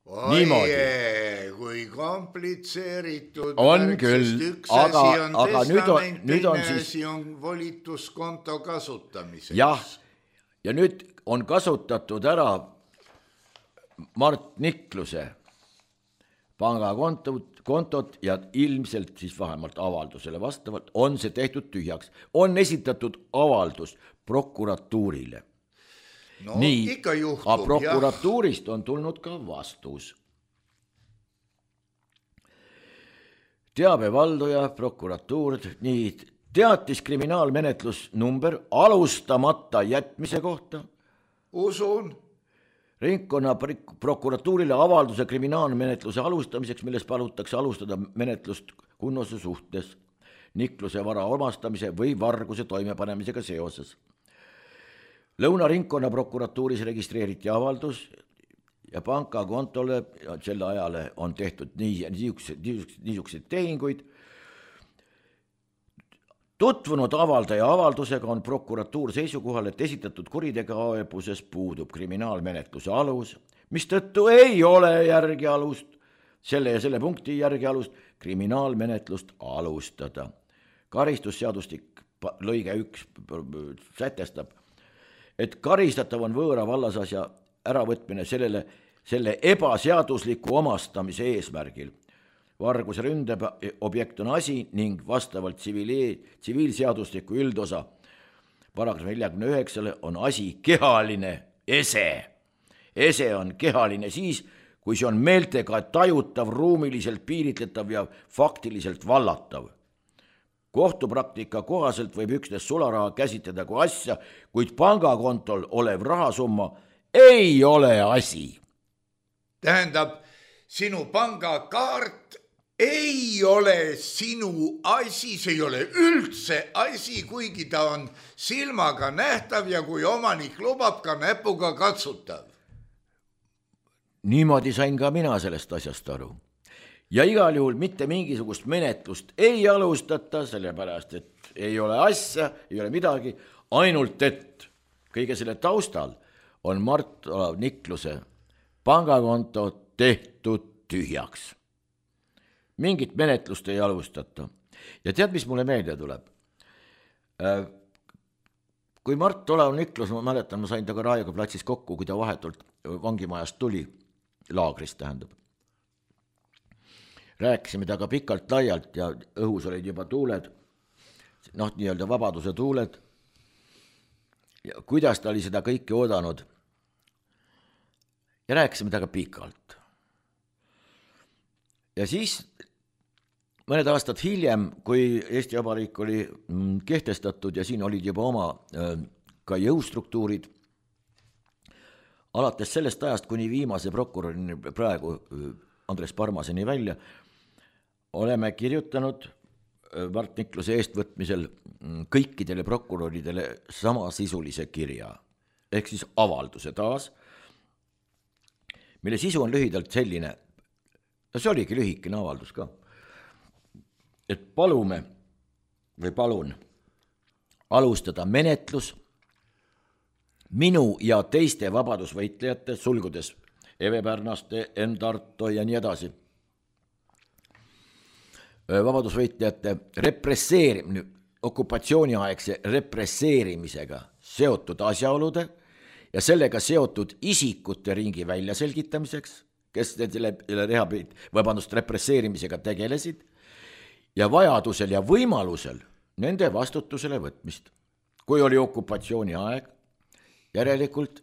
Oie, kui komplitseeritud on küll, üks asi on testamentine, asi on volituskonto kasutamiseks. Jah, ja nüüd on kasutatud ära Mart Nikluse pangakontot ja ilmselt siis vähemalt avaldusele vastavalt on see tehtud tühjaks. On esitatud avaldus prokuratuurile. No, nii, ikka juhtub, aga prokuratuurist on tulnud ka vastus. Teabevalduja, prokuratuur, nii, teatis kriminaalmenetlus number alustamata jätmise kohta. Usun. Ringkonna prokuratuurile avalduse kriminaalmenetluse alustamiseks, milles palutakse alustada menetlust Kunnuse suhtes Nikluse vara omastamise või varguse toimepanemisega seoses. Lõuna ringkonna prokuratuuris registreeriti avaldus ja pankakontole selle ajale on tehtud niisuguseid tehinguid. Tutvunud avaldaja avaldusega on prokuratuur seisukohal, et esitatud kuritegevuses puudub kriminaalmenetluse alus, mistõttu ei ole järgi alust, selle ja selle punkti järgi alust kriminaalmenetlust alustada. Karistusseadustik lõige 1 sätestab, et karistatav on võõra vallasasja äravõtmine selle ebaseadusliku omastamise eesmärgil. Varguse ründeb objekt on asi ning vastavalt tsiviilseadusliku üldosa paragrahv 49 on asi kehaline ese. Ese on kehaline siis, kui see on meeltega tajutav, ruumiliselt piiritletav ja faktiliselt vallatav. Kohtupraktika kohaselt võib üksnes sularaha käsitleda kui asja, kuid pangakontol olev rahasumma ei ole asi. Tähendab, sinu pangakaart ei ole sinu asi, see ei ole üldse asi, kuigi ta on silmaga nähtav ja kui omanik lubab, ka näpuga katsutav. Niimoodi sain ka mina sellest asjast aru. Ja igal juhul mitte mingisugust menetlust ei alustata, sellepärast, et ei ole asja, ei ole midagi, ainult et kõige selle taustal on Mart Olav Nikluse pangakonto tehtud tühjaks. Mingit menetlust ei alustata. Ja tead, mis mulle meelde tuleb? Kui Mart Olav Niklus, ma mäletan, ma sain taga Raekoja platsis kokku, kui ta vahetult vangimajast tuli, laagrist tähendab. Rääkisime taga pikalt laialt ja õhus olid juba tuuled, nii-öelda vabaduse tuuled. Ja kuidas ta oli seda kõike oodanud? Ja rääkisime taga pikalt. Ja siis mõned aastad hiljem, kui Eesti Vabariik oli kehtestatud ja siin olid juba oma ka jõustruktuurid, alates sellest ajast kuni viimase prokurörini praegu Andres Parmaseni välja, oleme kirjutanud Mart Nikluse eestvõtmisel kõikidele prokuröridele samasisulise kirja, ehk siis avalduse taas, mille sisu on lühidalt selline, ja see oligi lühikene avaldus ka, et palun alustada menetlus minu ja teiste vabadusvõitlejate, sulgudes Eve Pärnaste, Enn Tarto ja nii edasi, vabadusvõitlejate okupatsiooniaegse represseerimisega seotud asjaolude ja sellega seotud isikute ringi väljaselgitamiseks, kes represseerimisega tegelesid, ja vajadusel ja võimalusel nende vastutusele võtmist. Kui oli okupatsiooniaeg, järelikult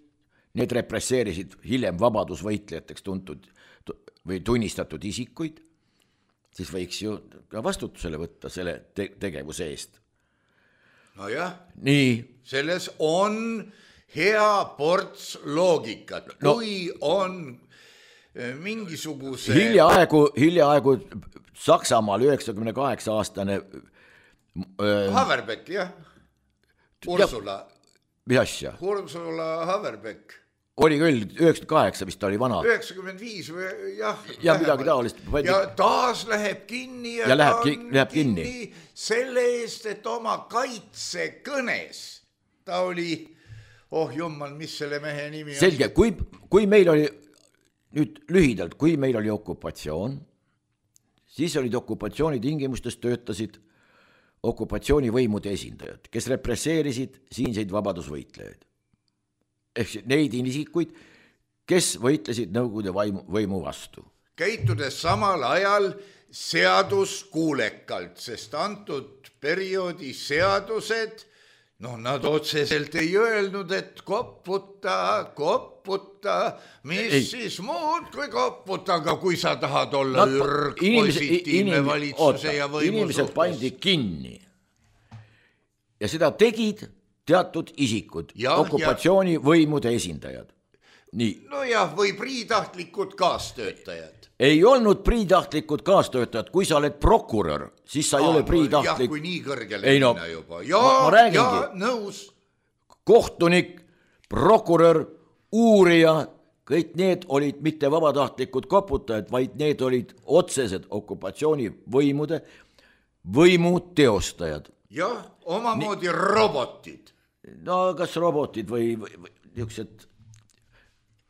need represseerisid hiljem vabadusvõitlejateks tuntud või tunnistatud isikuid, siis võiks ju ka vastutusele võtta selle tegevuse eest. Nojah, nii. Selles on hea ports loogikat, kui on mingisuguse... Hiljaaegu Saksamaal 98-aastane Haverbeck, jah. Ursula Haverbeck. Oli küll, 98 vist oli vana. 95 või jah. Ja midagi taolist. Ja taas läheb kinni ja läheb kinni selle eest, et oma kaitsekõnes ta oli, jumal, mis selle mehe nimi on? Selge, kui meil oli, nüüd lühidalt, kui meil oli okupatsioon, siis olid okupatsiooni tingimustes töötasid okupatsioonivõimude esindajad, kes represseerisid siinseid vabadusvõitlejaid. Ehk neid isikuid, kes võitlesid Nõukogude võimu vastu. Käitudes samal ajal seaduskuulekalt, sest antud perioodi seadused, nad otseselt ei öelnud, et kopputa, siis muud kui kopputa, aga kui sa tahad olla positiivne valitsuse ja võimu inimesed pandi kinni. Ja seda tegid teatud isikud, okupatsiooni võimude esindajad. Nii. Või priitahtlikud kaastöötajad. Ei olnud priitahtlikud kaastöötajad, kui sa oled prokurör, siis sa ei ole priitahtlik. Kui nii kõrgele minna juba. Ma räägingi. Nõus. Kohtunik, prokurör, uurija, kõik need olid mitte vabatahtlikud koputajad, vaid need olid otsesed okupatsioonivõimude võimu teostajad. Jah, omamoodi robotid. No kas robotid või niisugused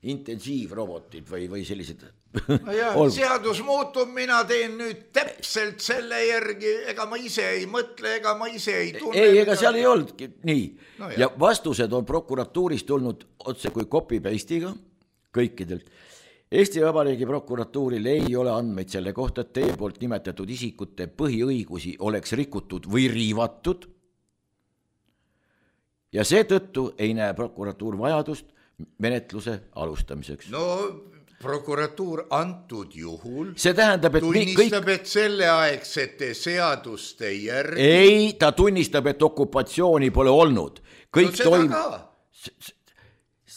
intensiivrobotid või sellised. No jah, seadus muutub, mina teen nüüd täpselt selle järgi, ega ma ise ei mõtle, ega ma ise ei tunne. Ei, ega seal ei olnudki nii. No ja vastused on prokuratuurist tulnud otse kui copy-paste'iga kõikidelt. Eesti Vabariigi prokuratuuril ei ole andmeid selle kohta, et teie poolt nimetatud isikute põhiõigusi oleks rikutud või riivatud. Ja seetõttu ei näe prokuratuur vajadust menetluse alustamiseks. No prokuratuur antud juhul see tähendab, et tunnistab, et selleaegsete seaduste järgi... Ei, ta tunnistab, et okupatsiooni pole olnud. Kõik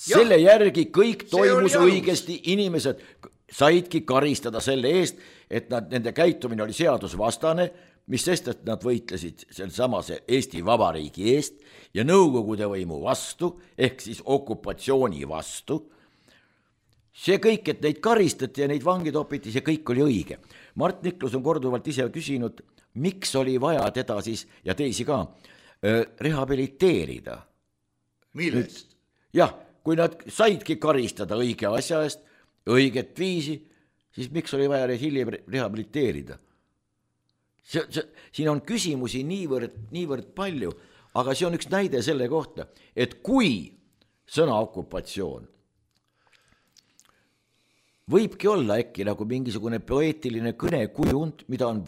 selle järgi kõik toimus õigesti, inimesed saidki karistada selle eest, et nende käitumine oli seadusvastane, mis sest, et nad võitlesid samase Eesti Vabariigi eest ja Nõukogude võimu vastu, ehk siis okupatsiooni vastu. See kõik, et neid karistati ja neid vangi topiti, see kõik oli õige. Mart Niklus on korduvalt ise küsinud, miks oli vaja teda siis ja teisi ka rehabiliteerida. Millest? Jah, kui nad saidki karistada õige asja eest, õiget viisi, siis miks oli vaja hiljem rehabiliteerida? Siin on küsimusi niivõrd palju, aga see on üks näide selle kohta, et kui sõna okupatsioon võibki olla äkki nagu mingisugune poeetiline kõnekujund, mida on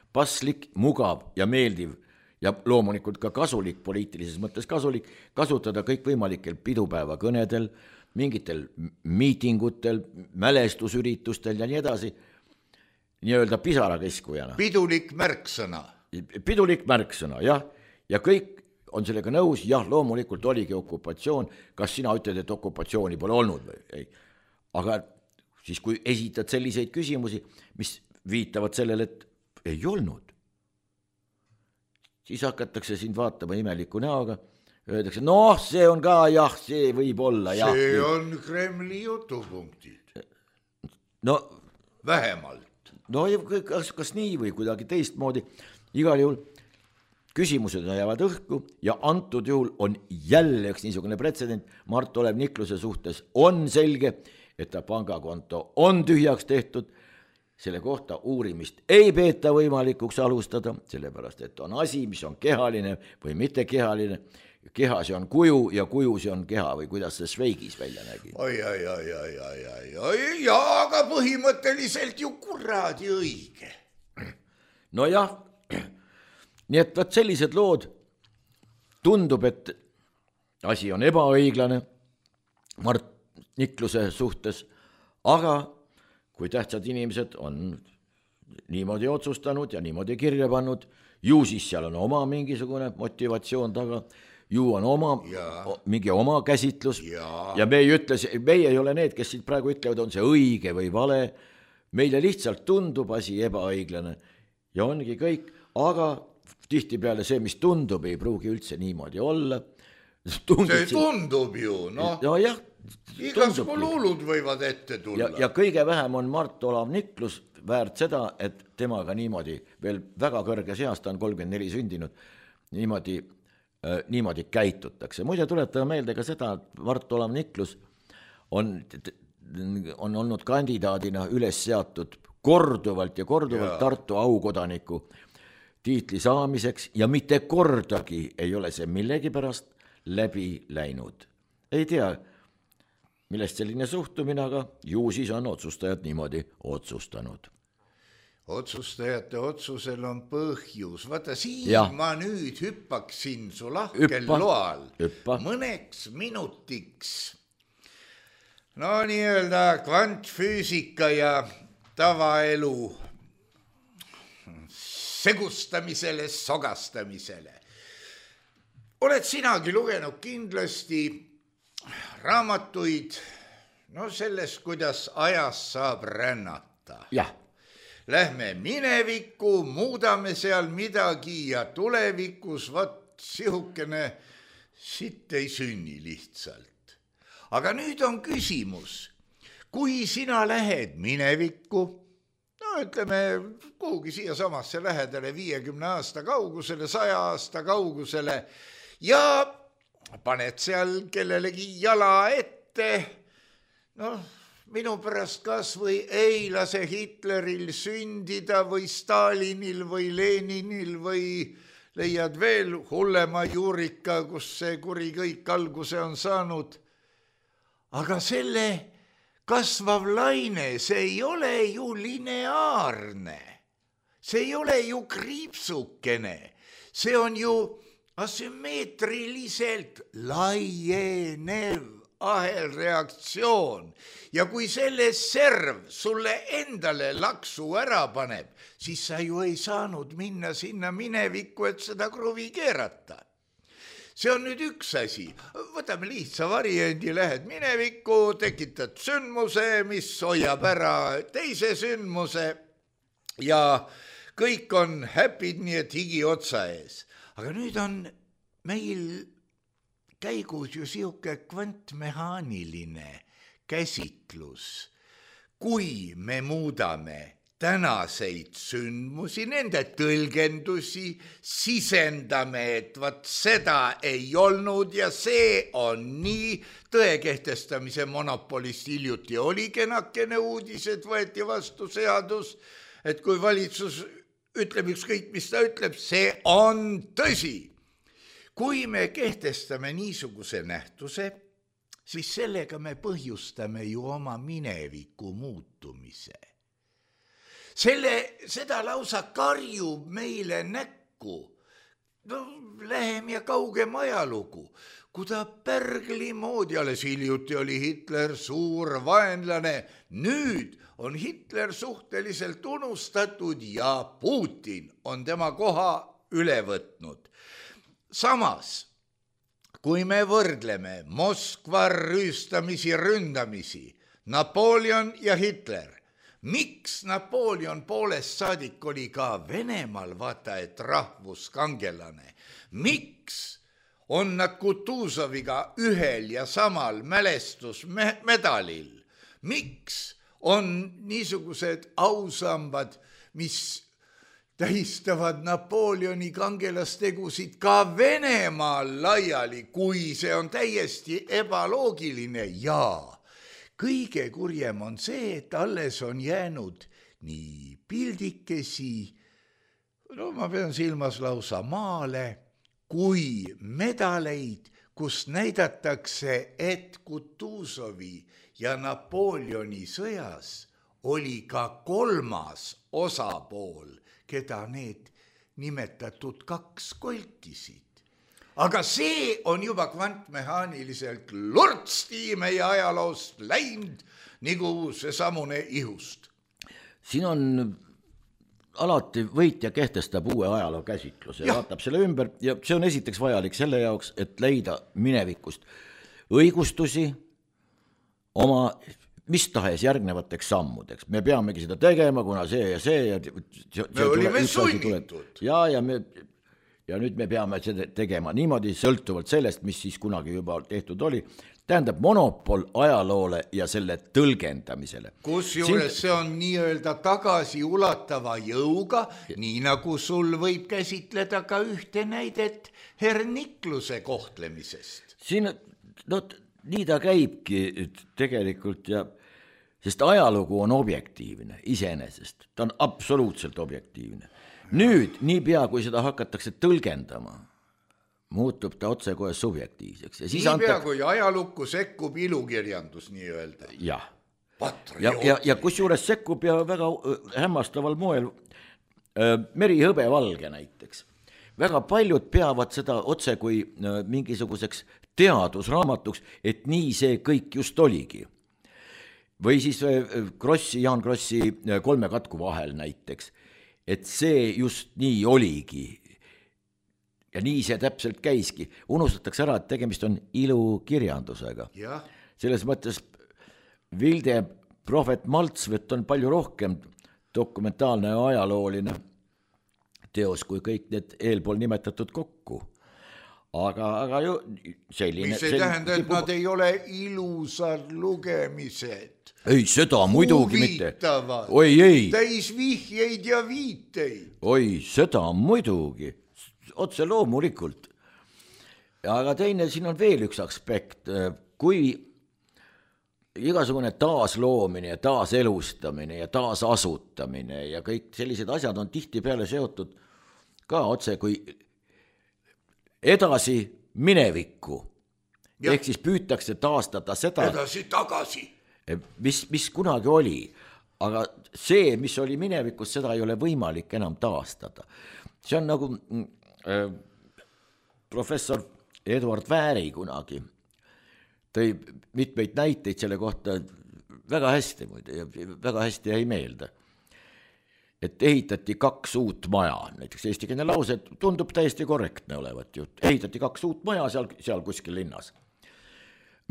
paslik, mugav ja meeldiv ja loomulikult ka kasulik, poliitilises mõttes kasulik, kasutada kõikvõimalikel pidupäeva kõnedel, mingitel miitingutel, mälestusüritustel ja nii edasi, nii-öelda pisarakeskujana. Pidulik märksõna. Pidulik märksõna, jah. Ja kõik on sellega nõus, jah, loomulikult oligi okupatsioon. Kas sina ütled, et okupatsiooni pole olnud või ei? Aga siis kui esitad selliseid küsimusi, mis viitavad sellele, et ei olnud, siis hakatakse sind vaatama imeliku näoga, öeldakse, noh, see on ka, jah, see võib olla, jah. See on Kremli jutupunktid. No, vähemalt. No kas nii või kuidagi teistmoodi, igal juhul küsimused jäävad õhku ja antud juhul on jälle üks niisugune pretsedent, Mart Olev Nikluse suhtes on selge, et ta pangakonto on tühjaks tehtud, selle kohta uurimist ei peeta võimalikuks alustada, sellepärast et on asi, mis on kehaline või mitte kehaline, keha see on kuju ja kuju see on keha või kuidas see Šveigis välja nägi. Aga põhimõtteliselt ju kuradi õige. No jah, nii et sellised lood tundub, et asi on ebaõiglane Mart Nikluse suhtes, aga kui tähtsad inimesed on niimoodi otsustanud ja niimoodi kirja pannud, ju siis seal on oma mingisugune motivatsioon taga, ju on mingi oma käsitlus ja meie ei ole need, kes siit praegu ütlevad, on see õige või vale, meile lihtsalt tundub asi ebaõiglane ja ongi kõik, aga tihtipeale see, mis tundub, ei pruugi üldse niimoodi olla. See tundub ju, noh. No jah, igasugu luulud võivad ette tulla. Ja kõige vähem on Mart Olav Niklus väärt seda, et temaga niimoodi, veel väga kõrges eas, ta on 34 sündinud, niimoodi käitutakse. Muide tuletame meelde ka seda, et Mart Olav Niklus on olnud kandidaadina üles seatud korduvalt Tartu aukodaniku tiitli saamiseks ja mitte kordagi ei ole see millegipärast läbi läinud. Ei tea, millest selline suhtumine, aga ju siis on otsustajad niimoodi otsustanud. Otsustajate otsusel on põhjus. Vaata, siin ma nüüd hüppaksin su lahkel loal mõneks minutiks. No nii-öelda kvantfüüsika ja tavaelu segustamisele, sogastamisele. Oled sinagi lugenud kindlasti raamatuid sellest, kuidas ajas saab rännata. Jah. Lähme minevikku, muudame seal midagi ja tulevikus sihukene sitt ei sünni lihtsalt. aga nüüd on küsimus, kui sina lähed minevikku, no ütleme kuhugi siia samasse lähedale 50 aasta kaugusele, 100 aasta kaugusele ja paned seal kellelegi jala ette, noh, minu pärast kas või ei lase Hitleril sündida või Stalinil või Leninil või leiad veel hullema juurika, kus see kuri kõik alguse on saanud. Aga selle kasvav laine, see ei ole ju lineaarne, see ei ole ju kriipsukene, see on ju asümmeetriliselt laienev ahelreaktsioon ja kui selle serv sulle endale laksu ära paneb, siis sa ju ei saanud minna sinna minevikku, et seda kruvi keerata. See on nüüd üks asi, võtame lihtsa variandi, lähed minevikku, tekitad sündmuse, mis hoiab ära teise sündmuse ja kõik on happy'd, nii et higi otsa ees. Aga nüüd on meil käigus ju siuke kvantmehaaniline käsitlus, kui me muudame tänaseid sündmusi, nende tõlgendusi, sisendame, et vat seda ei olnud ja see on nii, tõe kehtestamise monopolist hiljuti oli kenakene uudis, et võeti vastu seadus, et kui valitsus ütleb ükskõik, mis ta ütleb, see on tõsi. Kui me kehtestame niisuguse nähtuse, siis sellega me põhjustame ju oma mineviku muutumise. Seda lausa karjub meile näkku. No, lähem ja kaugem ajalugu, kui ta Pärgli moodi, alles hiljuti oli Hitler suur vaenlane, nüüd on Hitler suhteliselt unustatud ja Putin on tema koha üle võtnud. Samas, kui me võrdleme Moskva rüüstamisi, ründamisi, Napoleon ja Hitler, miks Napoleon poolest saadik oli ka Venemaal, vaata et rahvuskangelane, miks on nad Kutuzoviga ühel ja samal mälestusmedalil, miks on niisugused ausambad, mis tähistavad Napoleoni kangelastegusid ka Venemaal laiali, kui see on täiesti ebaloogiline ja kõige kurjem on see, et alles on jäänud nii pildikesi, no ma pean silmas lausa maale, kui medaleid, kus näidatakse, et Kutuzovi ja Napoleoni sõjas oli ka kolmas osapool, keda need nimetatud kaks koltisid. Aga see on juba kvantmehaaniliselt lortsti meie ajaloost läinud, nagu seesamune ihust. Siin on alati võitja kehtestab uue ajaloo käsitluse ja vaatab selle ümber ja see on esiteks vajalik selle jaoks, et leida minevikust õigustusi oma mis tahes järgnevateks sammudeks. Me peamegi seda tegema, kuna see ja see. Me olime sunnitud. Ja nüüd me peame seda tegema niimoodi sõltuvalt sellest, mis siis kunagi juba tehtud oli. Tähendab monopol ajaloole ja selle tõlgendamisele. Kusjuures see on nii-öelda tagasi ulatava jõuga, nii nagu sul võib käsitleda ka ühte näidet Hernikluse kohtlemisest. Siin, nii ta käibki tegelikult ja sest ajalugu on objektiivne iseenesest, ta on absoluutselt objektiivne. Nüüd, niipea kui seda hakatakse tõlgendama, muutub ta otsekohe subjektiivseks. Ja siis niipea kui ajalukku sekkub ilukirjandus nii-öelda. Jah. Ja kusjuures sekkub ja väga hämmastaval moel Meri hõbevalge näiteks. Väga paljud peavad seda otse kui mingisuguseks teadusraamatuks, et nii see kõik just oligi. Või siis Jaan Krossi Kolme katku vahel näiteks, et see just nii oligi. Ja nii see täpselt käiski. Unustatakse ära, et tegemist on ilukirjandusega. Ja. Selles mõttes Vilde Prohvet Maltsvet on palju rohkem dokumentaalne ja ajalooline teos kui kõik need eelpool nimetatud kokku. aga ju selline... Mis ei tähenda, et nad ei ole ilusad lugemised. Ei, seda muidugi mitte. Oi, ei. Täis vihjeid ja viiteid. Oi, seda muidugi. Otse loomulikult. Aga teine, siin on veel üks aspekt. Kui igasugune taasloomine ja taaselustamine ja taasasutamine ja kõik sellised asjad on tihtipeale seotud ka otse kui edasi minevikku. Ehk siis püütakse taastada seda, edasi tagasi, mis kunagi oli. Aga see, mis oli minevikus, seda ei ole võimalik enam taastada. See on nagu professor Edward Vääri kunagi tõi mitmeid näiteid selle kohta väga hästi, väga hästi jäi meelde. Et ehitati 2 uut maja, näiteks eestikeelne lause tundub täiesti korrektne olevat ju. Ehitati 2 uut maja seal kuskil linnas.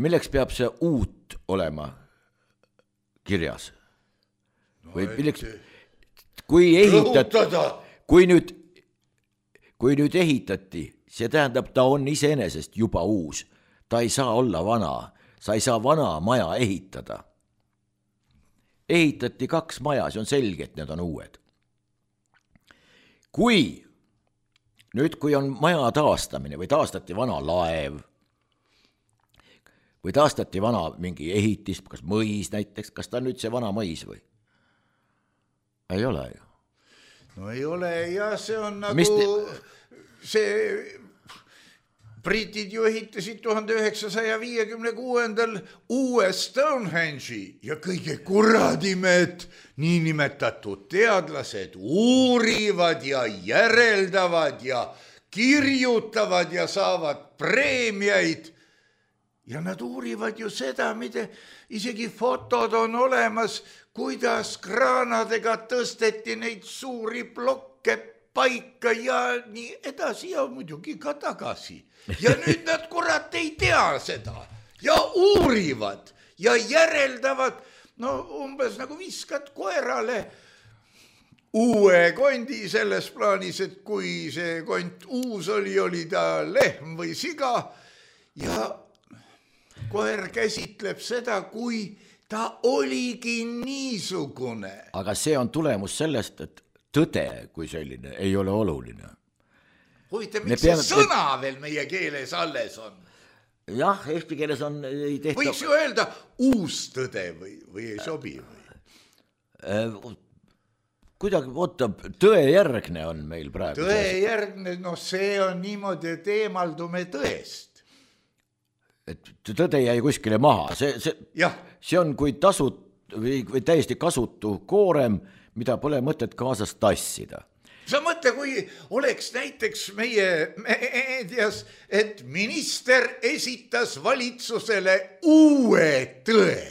Milleks peab see uut olema kirjas? Või milleks, kui nüüd ehitati, see tähendab, ta on iseenesest juba uus. Ta ei saa olla vana, sa ei saa vana maja ehitada. Ehitati 2 maja, see on selge, et need on uued. Kui on maja taastamine või taastati vana laev või taastati vana mingi ehitist, kas mõis näiteks, kas ta on nüüd see vana mõis või? Ei ole ju. No ei ole ja see on nagu see... Britid ju ehitasid 1956. uue Stonehenge'i ja kõige kuradimed niinimetatud teadlased uurivad ja järeldavad ja kirjutavad ja saavad preemiaid. Ja nad uurivad ju seda, mida isegi fotod on olemas, kuidas kraanadega tõsteti neid suuri blokke paika ja nii edasi ja muidugi ka tagasi. Ja nüüd nad kurat ei tea seda ja uurivad ja järeldavad, no umbes nagu viskad koerale uue kondi selles plaanis, et kui see kont uus oli ta lehm või siga ja koer käsitleb seda, kui ta oligi niisugune. Aga see on tulemus sellest, et tõde kui selline ei ole oluline. Huvitav, miks see sõna veel meie keeles alles on? Jah, eesti keeles on... Võiks ju öelda uus tõde või ei sobi või? Kuidagi, tõejärgne on meil praegu. Tõejärgne, no see on niimoodi, et eemaldume tõest. Et tõde jäi kuskile maha. See on kui või täiesti kasutu koorem, mida pole mõtet kaasas tassida. Sa mõtle, kui oleks näiteks meie meedias, et minister esitas valitsusele uue tõe,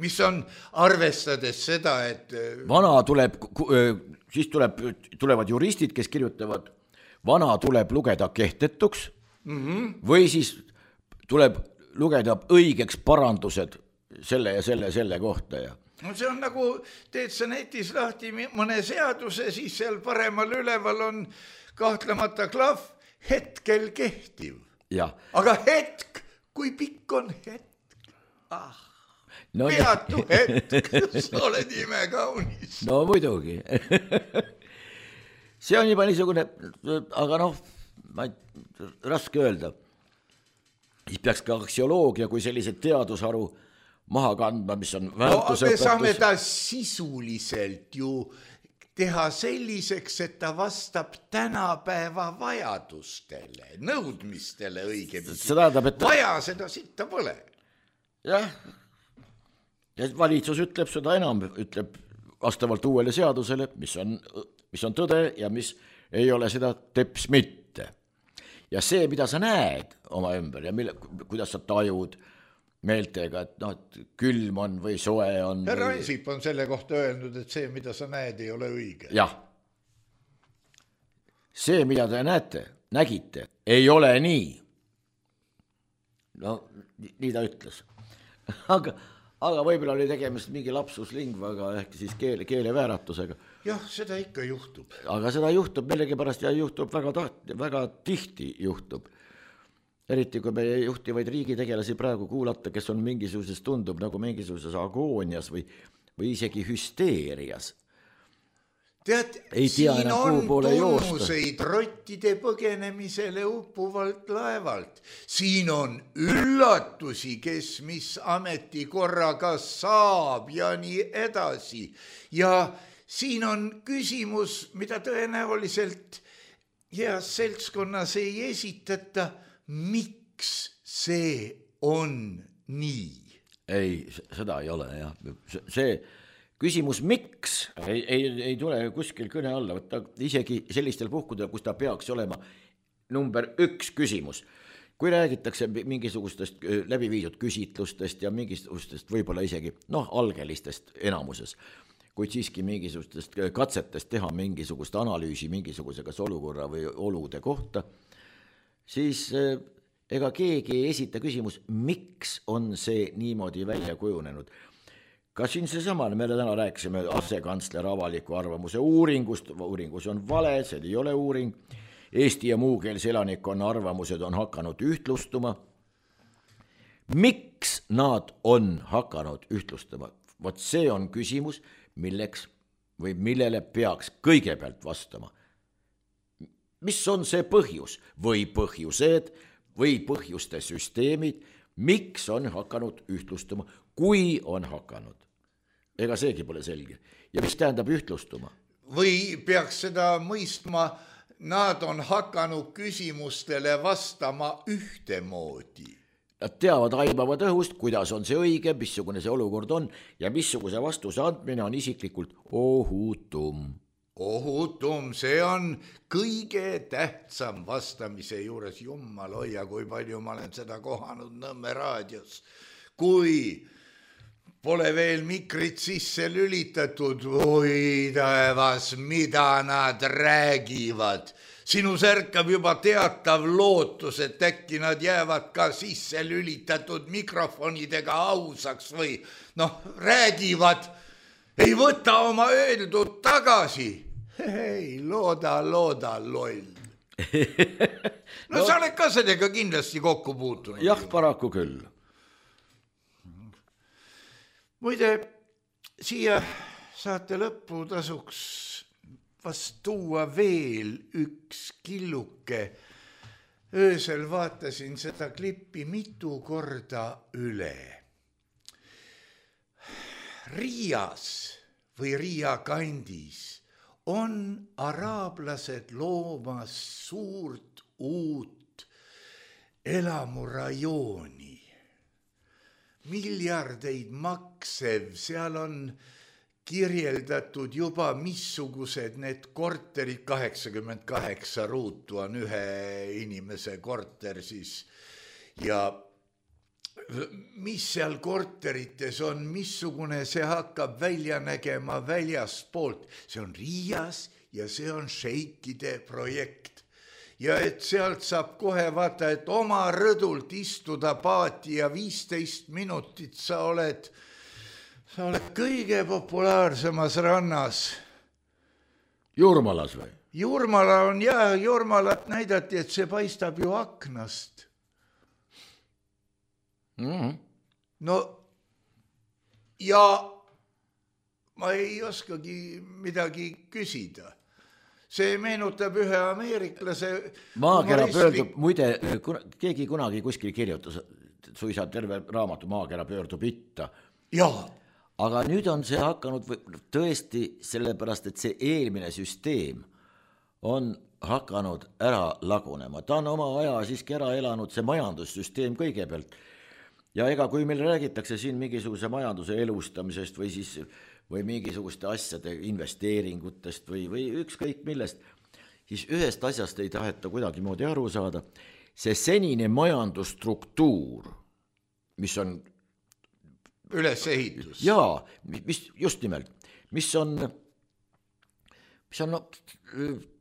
mis on arvestades seda, et... Vana tuleb, siis tulevad juristid, kes kirjutavad, vana tuleb lugeda kehtetuks või siis tuleb lugeda õigeks parandused selle ja selle kohta ja... No see on nagu, teed sa netis lahti mõne seaduse, siis seal paremal üleval on kahtlemata klahv hetkel kehtiv. Ja. Aga hetk, kui pikk on hetk? Peatu hetk, sa oled imekaunis. No muidugi. See on juba niisugune, aga raske öelda. Siis peaks ka aksioloogia kui sellised teadusharu maha kandma, mis on väärtusõpetus. Me saame ta sisuliselt ju teha selliseks, et ta vastab tänapäeva vajadustele, nõudmistele õigemini. Vaja seda sitta pole. Jah, ja valitsus ütleb seda enam, ütleb vastavalt uuele seadusele, mis on tõde ja mis ei ole seda teps mitte. Ja see, mida sa näed oma ümber ja kuidas sa tajud meeltega, et külm on või soe on. Härra Ansip on selle kohta öelnud, et see, mida sa näed, ei ole õige. Jah. See, mida te nägite, ei ole nii. No, nii ta ütles. Aga võib-olla oli tegemist mingi lapsuslingvaga ehk siis keelevääratusega. jah, seda ikka juhtub. Aga seda juhtub millegipärast ja juhtub väga tihti juhtub. Eriti kui meie juhtivaid riigitegelasi praegu kuulata, kes on mingisuguses, tundub nagu mingisuguses agoonias või isegi hüsteerias. Tead, siin on tunnuseid rottide põgenemisele uppuvalt laevalt. Siin on üllatusi, kes mis ametikorraga saab ja nii edasi. Ja siin on küsimus, mida tõenäoliselt heas seltskonnas ei esitata, miks see on nii? Ei, seda ei ole, jah. See küsimus miks ei tule kuskil kõne alla, võtta isegi sellistel puhkudel, kus ta peaks olema number 1 küsimus. Kui räägitakse mingisugustest läbiviidud küsitlustest ja mingisugustest võib-olla isegi algelistest enamuses, kuid siiski mingisugustest katsetest teha mingisugust analüüsi mingisuguse kas olukorra või olude kohta, siis ega keegi ei esita küsimus, miks on see niimoodi välja kujunenud. Ka siin seesama, me täna rääkisime asekantsler avaliku arvamuse uuringus on vale, see ei ole uuring. Eesti ja muukeelse elanikkonna arvamused on hakanud ühtlustuma. Miks nad on hakanud ühtlustuma? Vot see on küsimus, millele peaks kõigepealt vastama. Mis on see põhjus või põhjused või põhjuste süsteemid, miks on hakanud ühtlustuma, kui on hakanud? Ega seegi pole selge. Ja mis tähendab ühtlustuma? Või peaks seda mõistma, nad on hakanud küsimustele vastama ühtemoodi. Nad teavad aimavad õhust, kuidas on see õige, missugune see olukord on ja missuguse vastuse andmine on isiklikult ohutum. Ohutum, see on kõige tähtsam vastamise juures. Jummal hoia, kui palju ma olen seda kohanud Nõmme raadios. Kui pole veel mikrit sisse lülitatud, oi taevas, mida nad räägivad. Sinus ärkab juba teatav lootus, et äkki nad jäävad ka sisse lülitatud mikrofonidega ausaks või räägivad, ei võta oma öeldud tagasi. Ei, looda, loll. Sa oled ka sellega kindlasti kokku puutunud. Jah, paraku küll. Muide, siia saate lõppu tasuks vast tuua veel üks killuke. Öösel vaatasin seda klippi mitu korda üle. Riias või Riia kandis on araablased loomas suurt uut elamurajooni. Miljardeid maksev, seal on kirjeldatud juba missugused need korterid, 88 ruutu on ühe inimese korter siis ja mis seal korterites on, missugune see hakkab välja nägema väljaspoolt. See on Riias ja see on šeikide projekt. Ja et sealt saab kohe vaata, et oma rõdult istuda paati ja 15 minutit sa oled kõige populaarsemas rannas. Jurmalas või? Jurmala on Jurmalat näidati, et see paistab ju aknast. No ja ma ei oskagi midagi küsida. See meenutab ühe ameeriklase maakera pöördub, muide, keegi kunagi kuskil kirjutas suisa terve raamatu Maakera pöördub itta. Jaa. Aga nüüd on see hakanud tõesti sellepärast, et see eelmine süsteem on hakanud ära lagunema. Ta on oma aja siiski ära elanud, see majandussüsteem kõigepealt. Ja ega kui meil räägitakse siin mingisuguse majanduse elustamisest või mingisuguste asjade investeeringutest või ükskõik millest, siis ühest asjast ei taheta kuidagi moodi aru saada. See senine majandusstruktuur, mis on ülesehitus. Jaa, just nimelt, mis on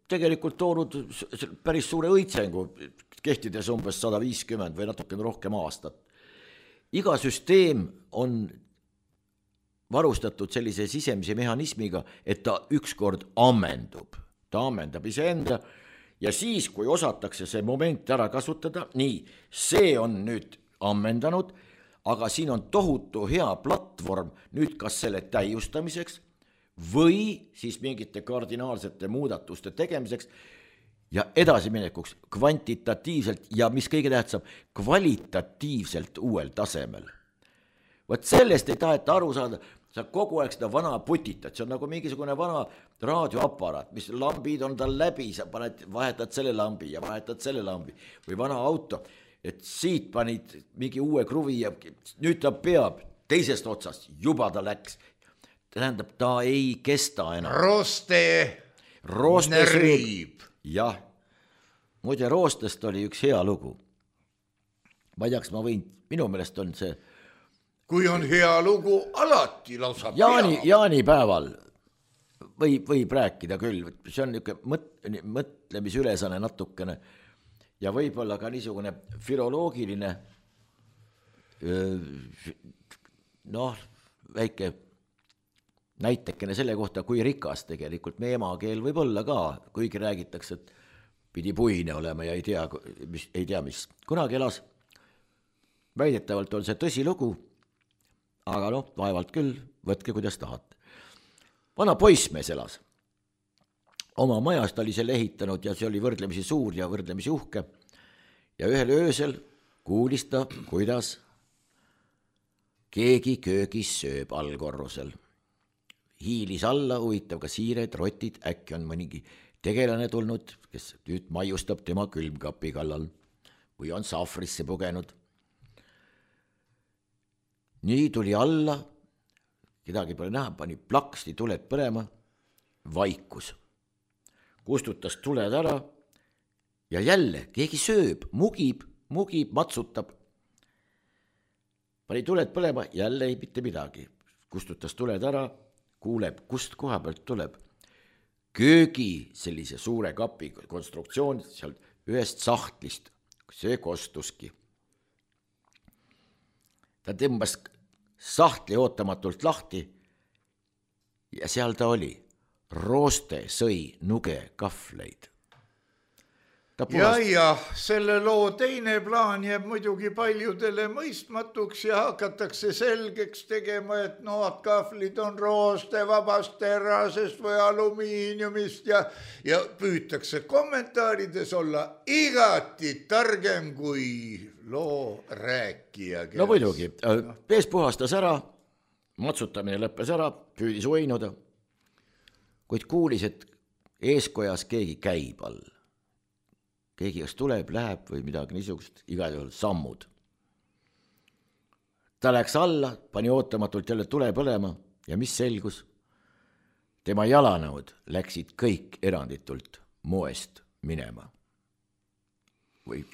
tegelikult toonud päris suure õitsengu, kehtides umbes 150 või natuke rohkem aastat. Iga süsteem on varustatud sellise sisemise mehhanismiga, et ta ükskord ammendub. Ta ammendab iseenda ja siis, kui osatakse see moment ära kasutada, nii, see on nüüd ammendanud, aga siin on tohutu hea platvorm nüüd kas selle täiustamiseks või siis mingite kardinaalsete muudatuste tegemiseks ja edasiminekuks kvantitatiivselt ja mis kõige tähtsam, kvalitatiivselt uuel tasemel. Võt sellest ei taheta aru saada, sa kogu aeg seda vana putitad, see on nagu mingisugune vana raadioaparaat, mis lambid on tal läbi, sa vahetad selle lambi ja vahetad selle lambi või vana auto, et siit panid mingi uue kruvi ja nüüd ta peab teisest otsast, juba ta läks. Tähendab, ta ei kesta enam. Rooste närib. Jah, muide roostest oli üks hea lugu. Ma ei teaks, ma võin, minu meelest on see kui on hea lugu, alati lausa jaanipäeval võib rääkida küll, see on niisugune mõtlemisülesane natukene ja võib-olla ka niisugune filoloogiline väike näitekene selle kohta, kui rikas tegelikult meie emakeel võib olla ka, kuigi räägitakse, et pidi puine olema ja ei tea mis. Kunagi elas, väidetavalt on see tõsilugu, aga vaevalt küll, võtke kuidas tahate. Vana poissmees elas. Oma majast oli selle ehitanud ja see oli võrdlemisi suur ja võrdlemisi uhke. Ja ühel öösel kuulis ta, kuidas keegi köögis sööb allkorrusel. Hiilis alla, huvitav ka siired, rotid, äkki on mõnigi tegelane tulnud, kes nüüd maiustab tema külmkapi kallal või on sahvrisse pugenud. Nii tuli alla, kedagi pole näha, pani plaksti tuled põlema, vaikus. Kustutas tuled ära ja jälle keegi sööb, mugib, matsutab. Pani tuled põlema, jälle ei mitte midagi. Kustutas tuled ära, kuuleb, kust koha pealt tuleb. Köögi sellise suure kapi konstruktsioon seal ühest sahtlist, see kostuski. Ta tõmbas sahtli ootamatult lahti ja seal ta oli. Rooste sõi nuge kahvleid. Ja, selle loo teine plaan jääb muidugi paljudele mõistmatuks ja hakatakse selgeks tegema, et nood kahvlid on rooste vabast terasest või alumiiniumist ja püütakse kommentaarides olla igati targem kui loo rääkija. No muidugi, pees puhastas ära, matsutamine lõppes ära, püüdis uinuda, kuid kuulis, et eeskojas keegi käib all. Keegi kas tuleb, läheb või midagi niisugust, igal juhul sammud. Ta läks alla, pani ootamatult jälle tule põlema ja mis selgus? Tema jalanõud läksid kõik eranditult moest minema. Või?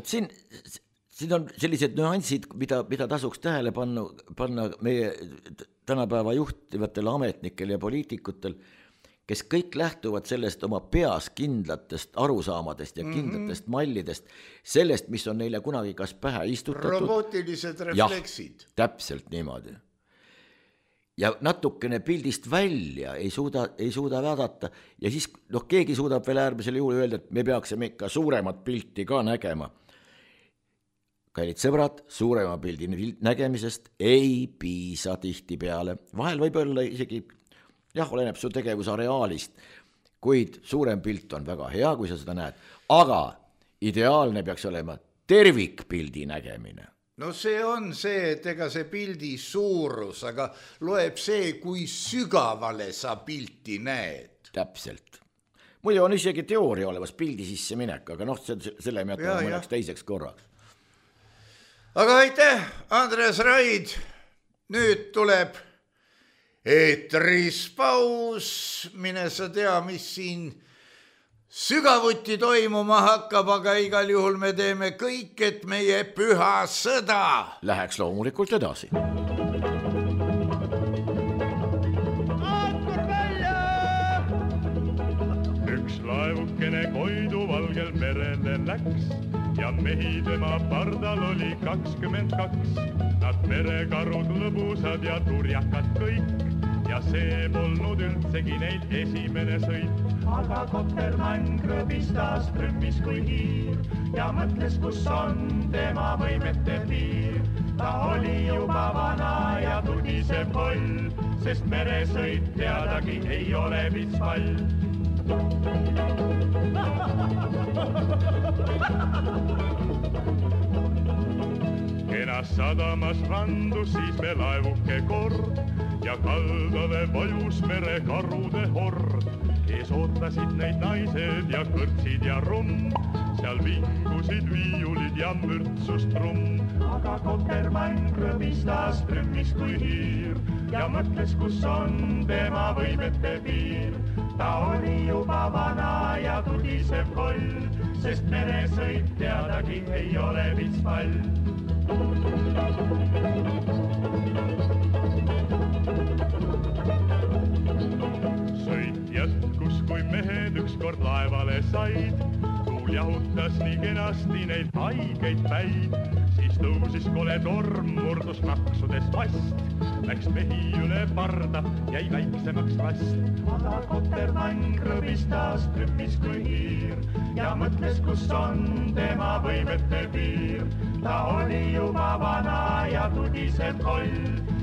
Siin on sellised nüansid, mida tasuks tähele panna meie tänapäeva juhtivatele ametnikel ja poliitikutel, kes kõik lähtuvad sellest oma peas kindlatest arusaamadest ja kindlatest mallidest, sellest, mis on neile kunagi kas pähe istutatud. Robootilised refleksid. Jah, täpselt niimoodi. Ja natukene pildist välja ei suuda vaadata ja siis keegi suudab veel äärmisel juhul öelda, et me peaksime ikka suuremat pilti ka nägema. Kallid sõbrad, suurema pildi nägemisest ei piisa tihti peale. Vahel võib olla isegi oleneb su tegevusareaalist, kuid suurem pilt on väga hea, kui sa seda näed, aga ideaalne peaks olema tervikpildi nägemine. No see on see, et ega see pildi suurus, aga loeb see, kui sügavale sa pilti näed. Täpselt. Muidu on isegi teooria olemas pildi sisse minek, aga selle me jätame mõneks teiseks korraks. Aga aitäh, Andres Raid, nüüd tuleb eetris paus, mine sa tea, mis siin sügavuti toimuma hakkab, aga igal juhul me teeme kõik, et meie püha sõda läheks loomulikult edasi. Ankur välja! Üks laevukene Koidu valgel merele läks ja mehi tema pardal oli 22. Nad merekarud lõbusad ja turjakad kõik ja see polnud üldsegi neid esimene sõit. Aga Kotermann krõbistas trümmis kui hiir ja mõtles, kus on tema võimete piir. Ta oli juba vana ja tudiseb holl, sest meresõit teadagi ei ole vitspall. Kenas sadamas randus siis me laevuke kord ja kaldale vajus merekarude hord. Ees ootasid neid naised ja kõrtsid ja rumm, seal vingusid viiulid ja mürtsus trumm. Aga Kotermann krõbistas trümmis kui hiir ja mõtles, kus on tema võimete piir. Ta oli juba vana ja tudiseb koll, sest meresõit teadagi ei ole vitspall. Sõit jätkus, kui mehed ükskord laevale said. Tuul jahutas nii kenasti neid haigeid päid. Siis tõusis kole torm, murdus maksudest vast. Läks mehi üle parda, jäi väiksemaks rast. Aga Kotermann krõbistas trümmis kui hiir ja mõtles, kus on tema võimete piir. Ta oli juba vana ja tudiseb koll,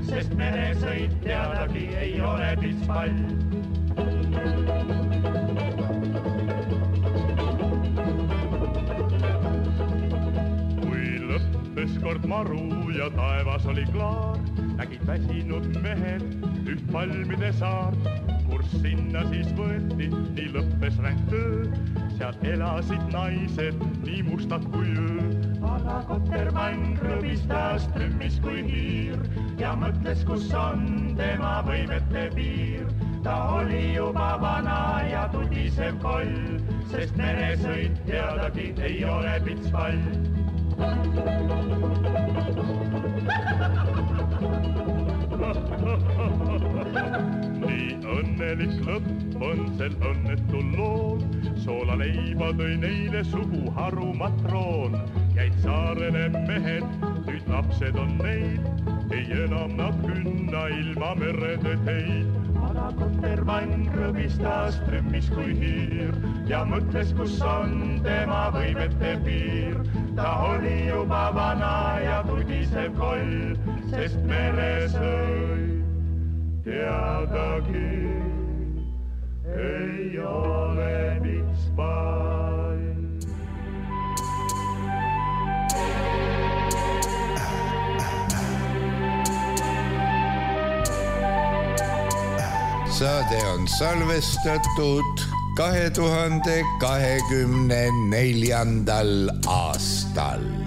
sest meresõit teadagi ei ole vitspall. Kui lõppes kord maru ja taevas oli klaar, nägid väsinud mehed üht palmide saart. Kurs sinna siis võeti, nii lõppes ränk töö, seal elasid naised nii mustad kui öö. Aga Kotermann krõbistas trümmis kui hiir ja mõtles, kus on tema võimete piir. Ta oli juba vana ja tudiseb koll, sest meresõit teadagi ei ole vitspall. Nii õnnelik lõpp on sel õnnetul lool, soolaleiba tõi neile suguharu matroon. Jäid saarele mehed, nüüd lapsed on neid, ei enam nad künna ilma merede teid. Aga Kotermann krõbistas trümmis kui hiir ja mõtles, kus on tema võimete piir. Ta oli juba vana ja tudiseb koll, sest meresõit teadagi ei ole vitspall. Saade on salvestatud 2024. aastal.